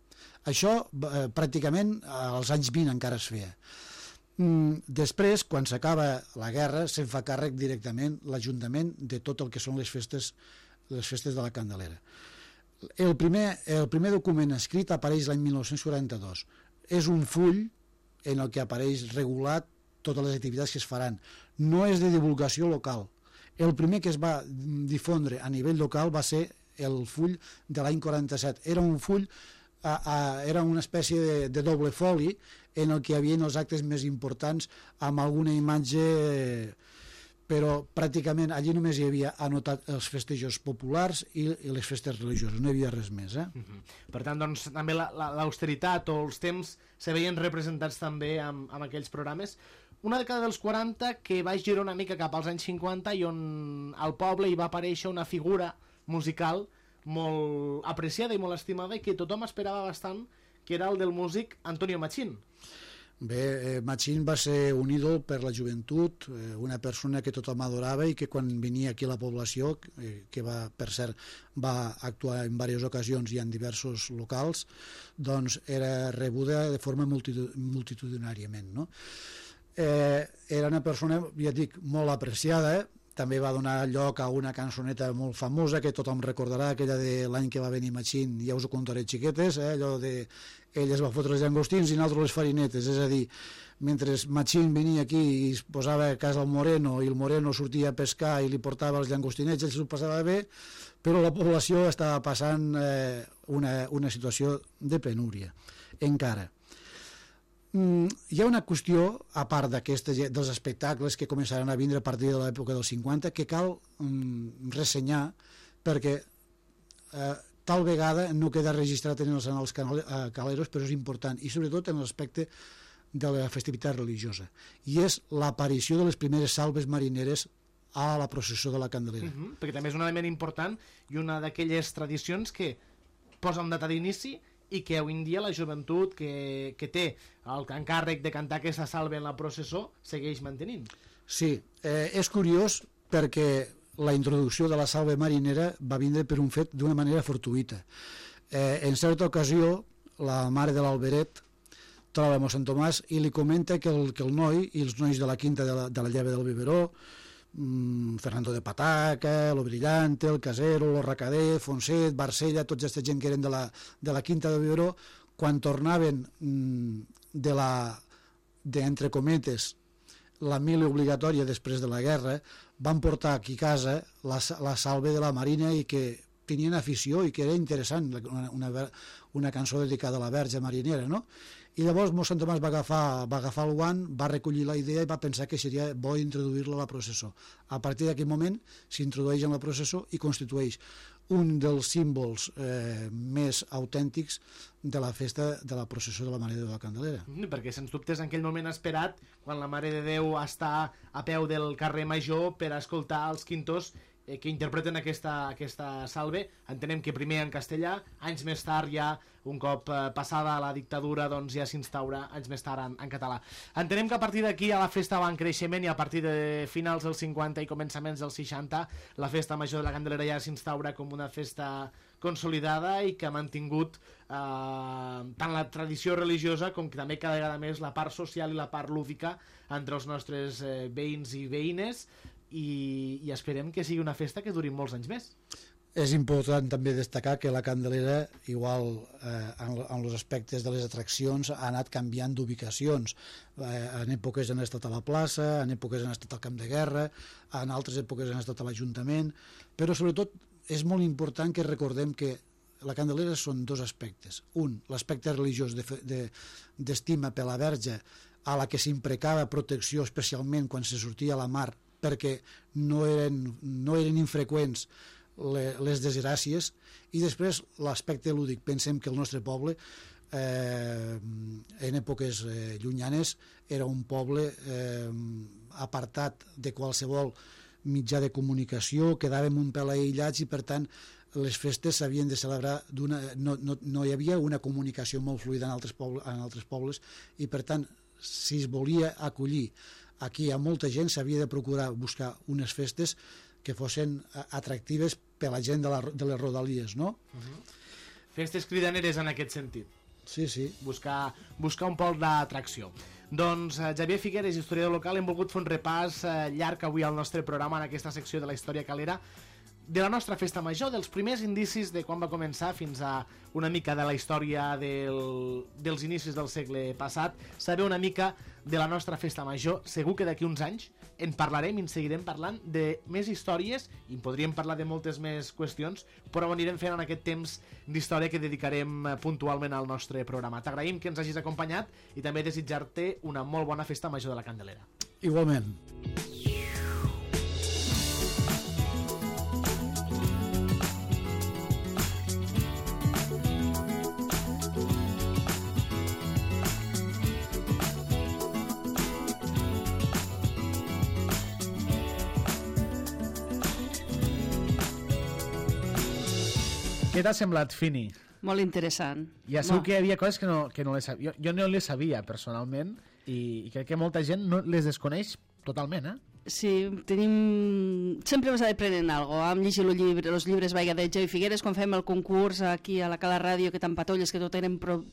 Això eh, pràcticament als anys vint encara es feia. Mm, després, quan s'acaba la guerra, se'n fa càrrec directament l'Ajuntament de tot el que són les festes, les festes de la Candelera. El primer, el primer document escrit apareix l'any mil nou-cents quaranta-dos. És un full en el que apareix regulat totes les activitats que es faran. No és de divulgació local. El primer que es va difondre a nivell local va ser el full de l'any quaranta-set. Era un full, a, a, era una espècie de, de doble foli en el que hi havia els actes més importants amb alguna imatge, però pràcticament allí només hi havia anotat els festejos populars i, i les festes religioses, no hi havia res més. Eh? Uh -huh. Per tant, doncs, també l'austeritat o els temps se veien representats també amb, amb aquells programes. Una dècada dels quaranta que va girar una mica cap als anys cinquanta i on al poble hi va aparèixer una figura musical molt apreciada i molt estimada i que tothom esperava bastant, que era el del músic Antonio Machín. Bé, eh, Machín va ser un ídol per la joventut, eh, una persona que tothom adorava i que quan venia aquí a la població, eh, que va, per cert, va actuar en diverses ocasions i en diversos locals, doncs era rebuda de forma multitud multitudinàriament, no? Eh, era una persona, ja dic, molt apreciada, eh? També va donar lloc a una cançoneta molt famosa que tothom recordarà, aquella de l'any que va venir Machín, ja us ho contaré xiquetes, eh? Allò de ell es va fotre els llangostins i nosaltres les farinetes, és a dir, mentre Machín venia aquí i es posava a casa al Moreno i el Moreno sortia a pescar i li portava els llangostinets, ell s'ho passava bé, però la població estava passant eh, una, una situació de penúria, encara. Mm, hi ha una qüestió, a part dels espectacles que començaran a vindre a partir de l'època dels cinquanta, que cal mm, ressenyar perquè eh, tal vegada no queda registrat en els anals caleros, però és important, i sobretot en l'aspecte de la festivitat religiosa, i és l'aparició de les primeres salves marineres a la processó de la Candelera. Uh -huh, perquè també és un element important i una d'aquelles tradicions que posa un data d'inici i que avui en dia la joventut que, que té l'encàrrec de cantar aquesta salve en la processó segueix mantenint. Sí, eh, és curiós perquè la introducció de la salve marinera va vindre per un fet d'una manera fortuïta. Eh, en certa ocasió, la mare de l'Alberet troba mossèn Tomàs i li comenta que el, que el noi i els nois de la quinta de la, de la Lleva del Biberó, mmm, Fernando de Pataca, lo Brillante, el Casero, lo Racader, Fonset, Barcella, tota aquesta gent que eren de la, de la quinta del Biberó, quan tornaven mmm, de la, de, entre cometes, la mili obligatòria després de la guerra, van portar aquí a casa la, la salve de la Marina i que tenien afició i que era interessant, una, una, una cançó dedicada a la Verge Marinera, no? I llavors mossèn Tomàs va agafar, va agafar el guant, va recollir la idea i va pensar que seria bo introduir-la a la processó. A partir d'aquell moment s'introdueix en la processó i constitueix un dels símbols eh, més autèntics de la festa de la processó de la Mare de Déu de la Candelera. Mm, perquè sens dubte és en aquell moment esperat quan la Mare de Déu està a peu del carrer Major per escoltar els quintos eh, que interpreten aquesta, aquesta salve. Entenem que primer en castellà, anys més tard ja, un cop eh, passada la dictadura, doncs ja s'instaura anys més tard en, en català. Entenem que a partir d'aquí a la festa va en creixement i a partir de finals dels cinquanta i començaments dels seixanta la festa major de la Candelera ja s'instaura com una festa consolidada i que ha mantingut eh, tant la tradició religiosa com que també cada vegada més la part social i la part lúdica entre els nostres eh, veïns i veïnes i, i esperem que sigui una festa que duri molts anys més. És important també destacar que la Candelera, igual eh, en, en els aspectes de les atraccions, ha anat canviant d'ubicacions. Eh, en èpoques han estat a la plaça, en èpoques han estat al camp de guerra, en altres èpoques han estat a l'Ajuntament, però sobretot és molt important que recordem que la Candelera són dos aspectes. Un, l'aspecte religiós d'estima de, de, per la Verge, a la que s'imprecava protecció especialment quan se sortia a la mar, perquè no eren, no eren infreqüents les desgràcies, i després l'aspecte lúdic. Pensem que el nostre poble eh, en èpoques eh, llunyanes era un poble eh, apartat de qualsevol mitjà de comunicació, quedàvem un pèl aïllats i per tant les festes s'havien de celebrar d'una... No, no, no hi havia una comunicació molt fluida en altres, poble, en altres pobles i per tant si es volia acollir aquí a molta gent s'havia de procurar buscar unes festes que fossin atractives per a la gent de, la, de les rodalies, no? Uh-huh. Festes cridaneres en aquest sentit. Sí, sí. Buscar, buscar un pol d'atracció. Doncs eh, Xavier Figueres, historiador local, hem volgut fer un repàs eh, llarg avui al nostre programa en aquesta secció de la història calera de la nostra festa major, dels primers indicis de quan va començar fins a una mica de la història del, dels inicis del segle passat, saber una mica de la nostra festa major. Segur que d'aquí uns anys en parlarem i en seguirem parlant de més històries i en podríem parlar de moltes més qüestions, però ho anirem fent en aquest temps d'història que dedicarem puntualment al nostre programa. T'agraïm que ens hagis acompanyat i també desitjar-te una molt bona festa major de la Candelera. Igualment. Què t'ha semblat, Fini? Molt interessant. Ja segur que hi havia coses que no, que no les sabia. Jo, jo no les sabia, personalment, i, i crec que molta gent no les desconeix totalment, eh? Sí, tenim... Sempre vas aprenent alguna cosa. Vam llegir els llibres, els llibres Vaiga de Xavier Figueres, quan fem el concurs aquí a la Cala Ràdio, que t'empatolles, que tot eren pro...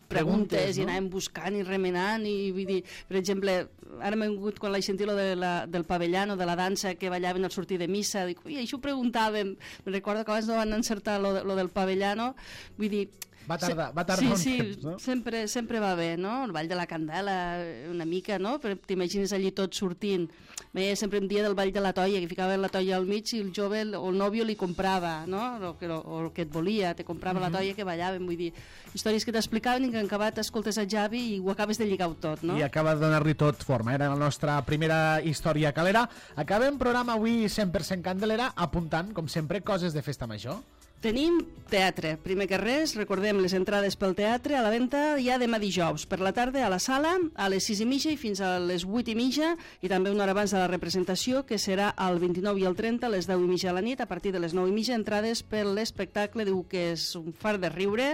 preguntes, preguntes no? I anàvem buscant i remenant i vull dir, per exemple, ara m'he vingut quan l'he sentit lo de la, del pavellano, de la dansa que ballaven al sortir de missa, dic, ui, això ho preguntàvem, me recordo que abans no van encertar lo, lo del pavellano, vull dir, va tardar, va tardar sí, un sí, temps, no? sempre, sempre va bé, no? El ball de la Candela, una mica, no? T'imagines allí tot sortint. Bé, sempre em dia del ball de la toia, que ficaven la toia al mig i el jove o el nòvio li comprava, no? O, o, o el que et volia, te comprava uh-huh. la toia que ballaven, vull dir, històries que t'explicaven i que en acabat escoltes a Javi i ho acabes de lligar tot, no? I acaba de donar-li tot forma, era la nostra primera història calera. Acabem programa avui cent per cent Candelera apuntant, com sempre, coses de festa major. Tenim teatre. Primer que res, recordem les entrades pel teatre a la venda ja demà dijous. Per la tarda a la sala, a les sis i mitja i fins a les vuit i mitja, i també una hora abans de la representació, que serà el vint-i-nou i el trenta, a les deu i mitja de la nit. A partir de les nou i mitja, entrades per l'espectacle, diu que és un far de riure,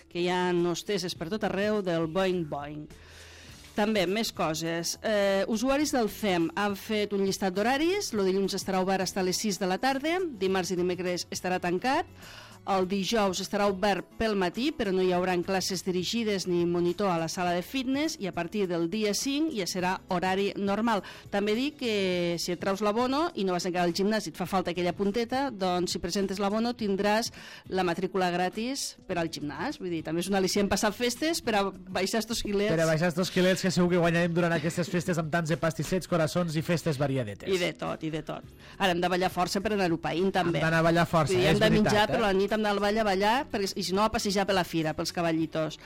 que hi ha hostesses per tot arreu del Boing Boing. També, més coses. Eh, usuaris del C E M han fet un llistat d'horaris. El dilluns estarà obert fins a les sis de la tarda, dimarts i dimecres estarà tancat. El dijous estarà obert pel matí, però no hi haurà classes dirigides ni monitor a la sala de fitness, i a partir del dia cinc ja serà horari normal. També dic que si et traus l'abono i no vas encara al gimnàs i et fa falta aquella punteta, doncs si presentes l'abono tindràs la matrícula gratis per al gimnàs. Vull dir, també és un al·licient passar festes per a baixar estos quilets. Per a baixar estos quilets que segur que guanyarem durant aquestes festes amb tants de pastissets, coraçons i festes variadetes. I de tot, i de tot. Ara hem de ballar força per anar-ho païnt, també. Hem d'anar a ballar força, dir, és hem de veritat. menjar, eh? però la nit hem d'anar al ball a ballar, perquè, i si no a passejar per la fira, pels cavallitos.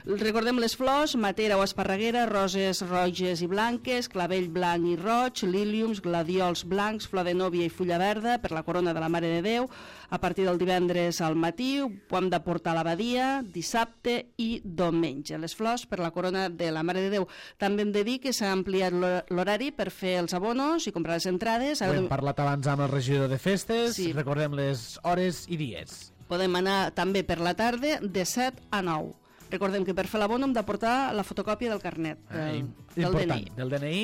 Recordem les flors: matera o esparreguera, roses roges i blanques, clavell blanc i roig, líliums, gladiols blancs, flor de núvia i fulla verda per la corona de la Mare de Déu. A partir del divendres al matí ho hem de portar a l'abadia, dissabte i diumenge. Les flors per la corona de la Mare de Déu. També hem de dir que s'ha ampliat l'horari per fer els abonos i comprar les entrades. Ho hem parlat abans amb el regidor de festes, sí. Recordem les hores i dies. Podem anar també per la tarda de set a nou. Recordem que per fer l'abono hem de portar la fotocòpia del carnet, del, del D N I. Del D N I.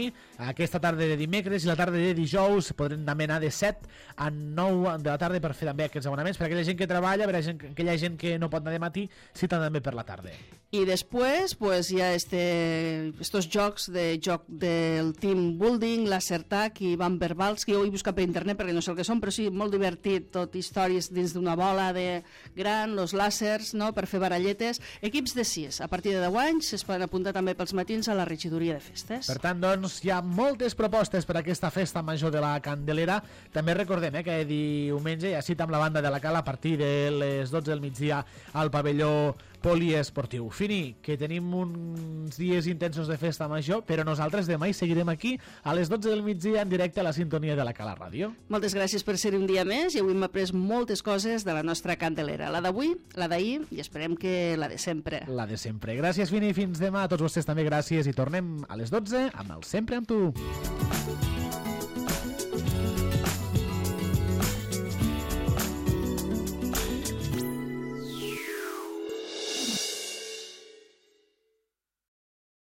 Aquesta tarda de dimecres i la tarda de dijous podrem també anar de set a nou de la tarda per fer també aquests abonaments. Per aquella gent que treballa, per aquella gent que no pot anar de matí, sí també per la tarda. I després pues, hi ha este, estos jocs de joc del team building, l'Acertac i Van Verbals, que jo ho he buscat per internet perquè no sé el que són, però sí, molt divertit, tot històries dins d'una bola de gran, los làsers, no?, per fer baralletes. Equips de sis, a partir de deu anys, es poden apuntar també pels matins a la regidoria de festes. Per tant, doncs, hi ha moltes propostes per a aquesta festa major de la Candelera. També recordem eh, que diumenge hi ha cita amb la banda de la Cala a partir de les dotze del migdia al pavelló poliesportiu. Fini, que tenim uns dies intensos de festa major, però nosaltres demà hi seguirem aquí a les dotze del migdia en directe a la sintonia de la Cala Ràdio. Moltes gràcies per ser un dia més i avui hem après moltes coses de la nostra Candelera. La d'avui, la d'ahir i esperem que la de sempre. La de sempre. Gràcies, Fini, fins demà. A tots vostès també gràcies i tornem a les dotze amb el Sempre amb tu.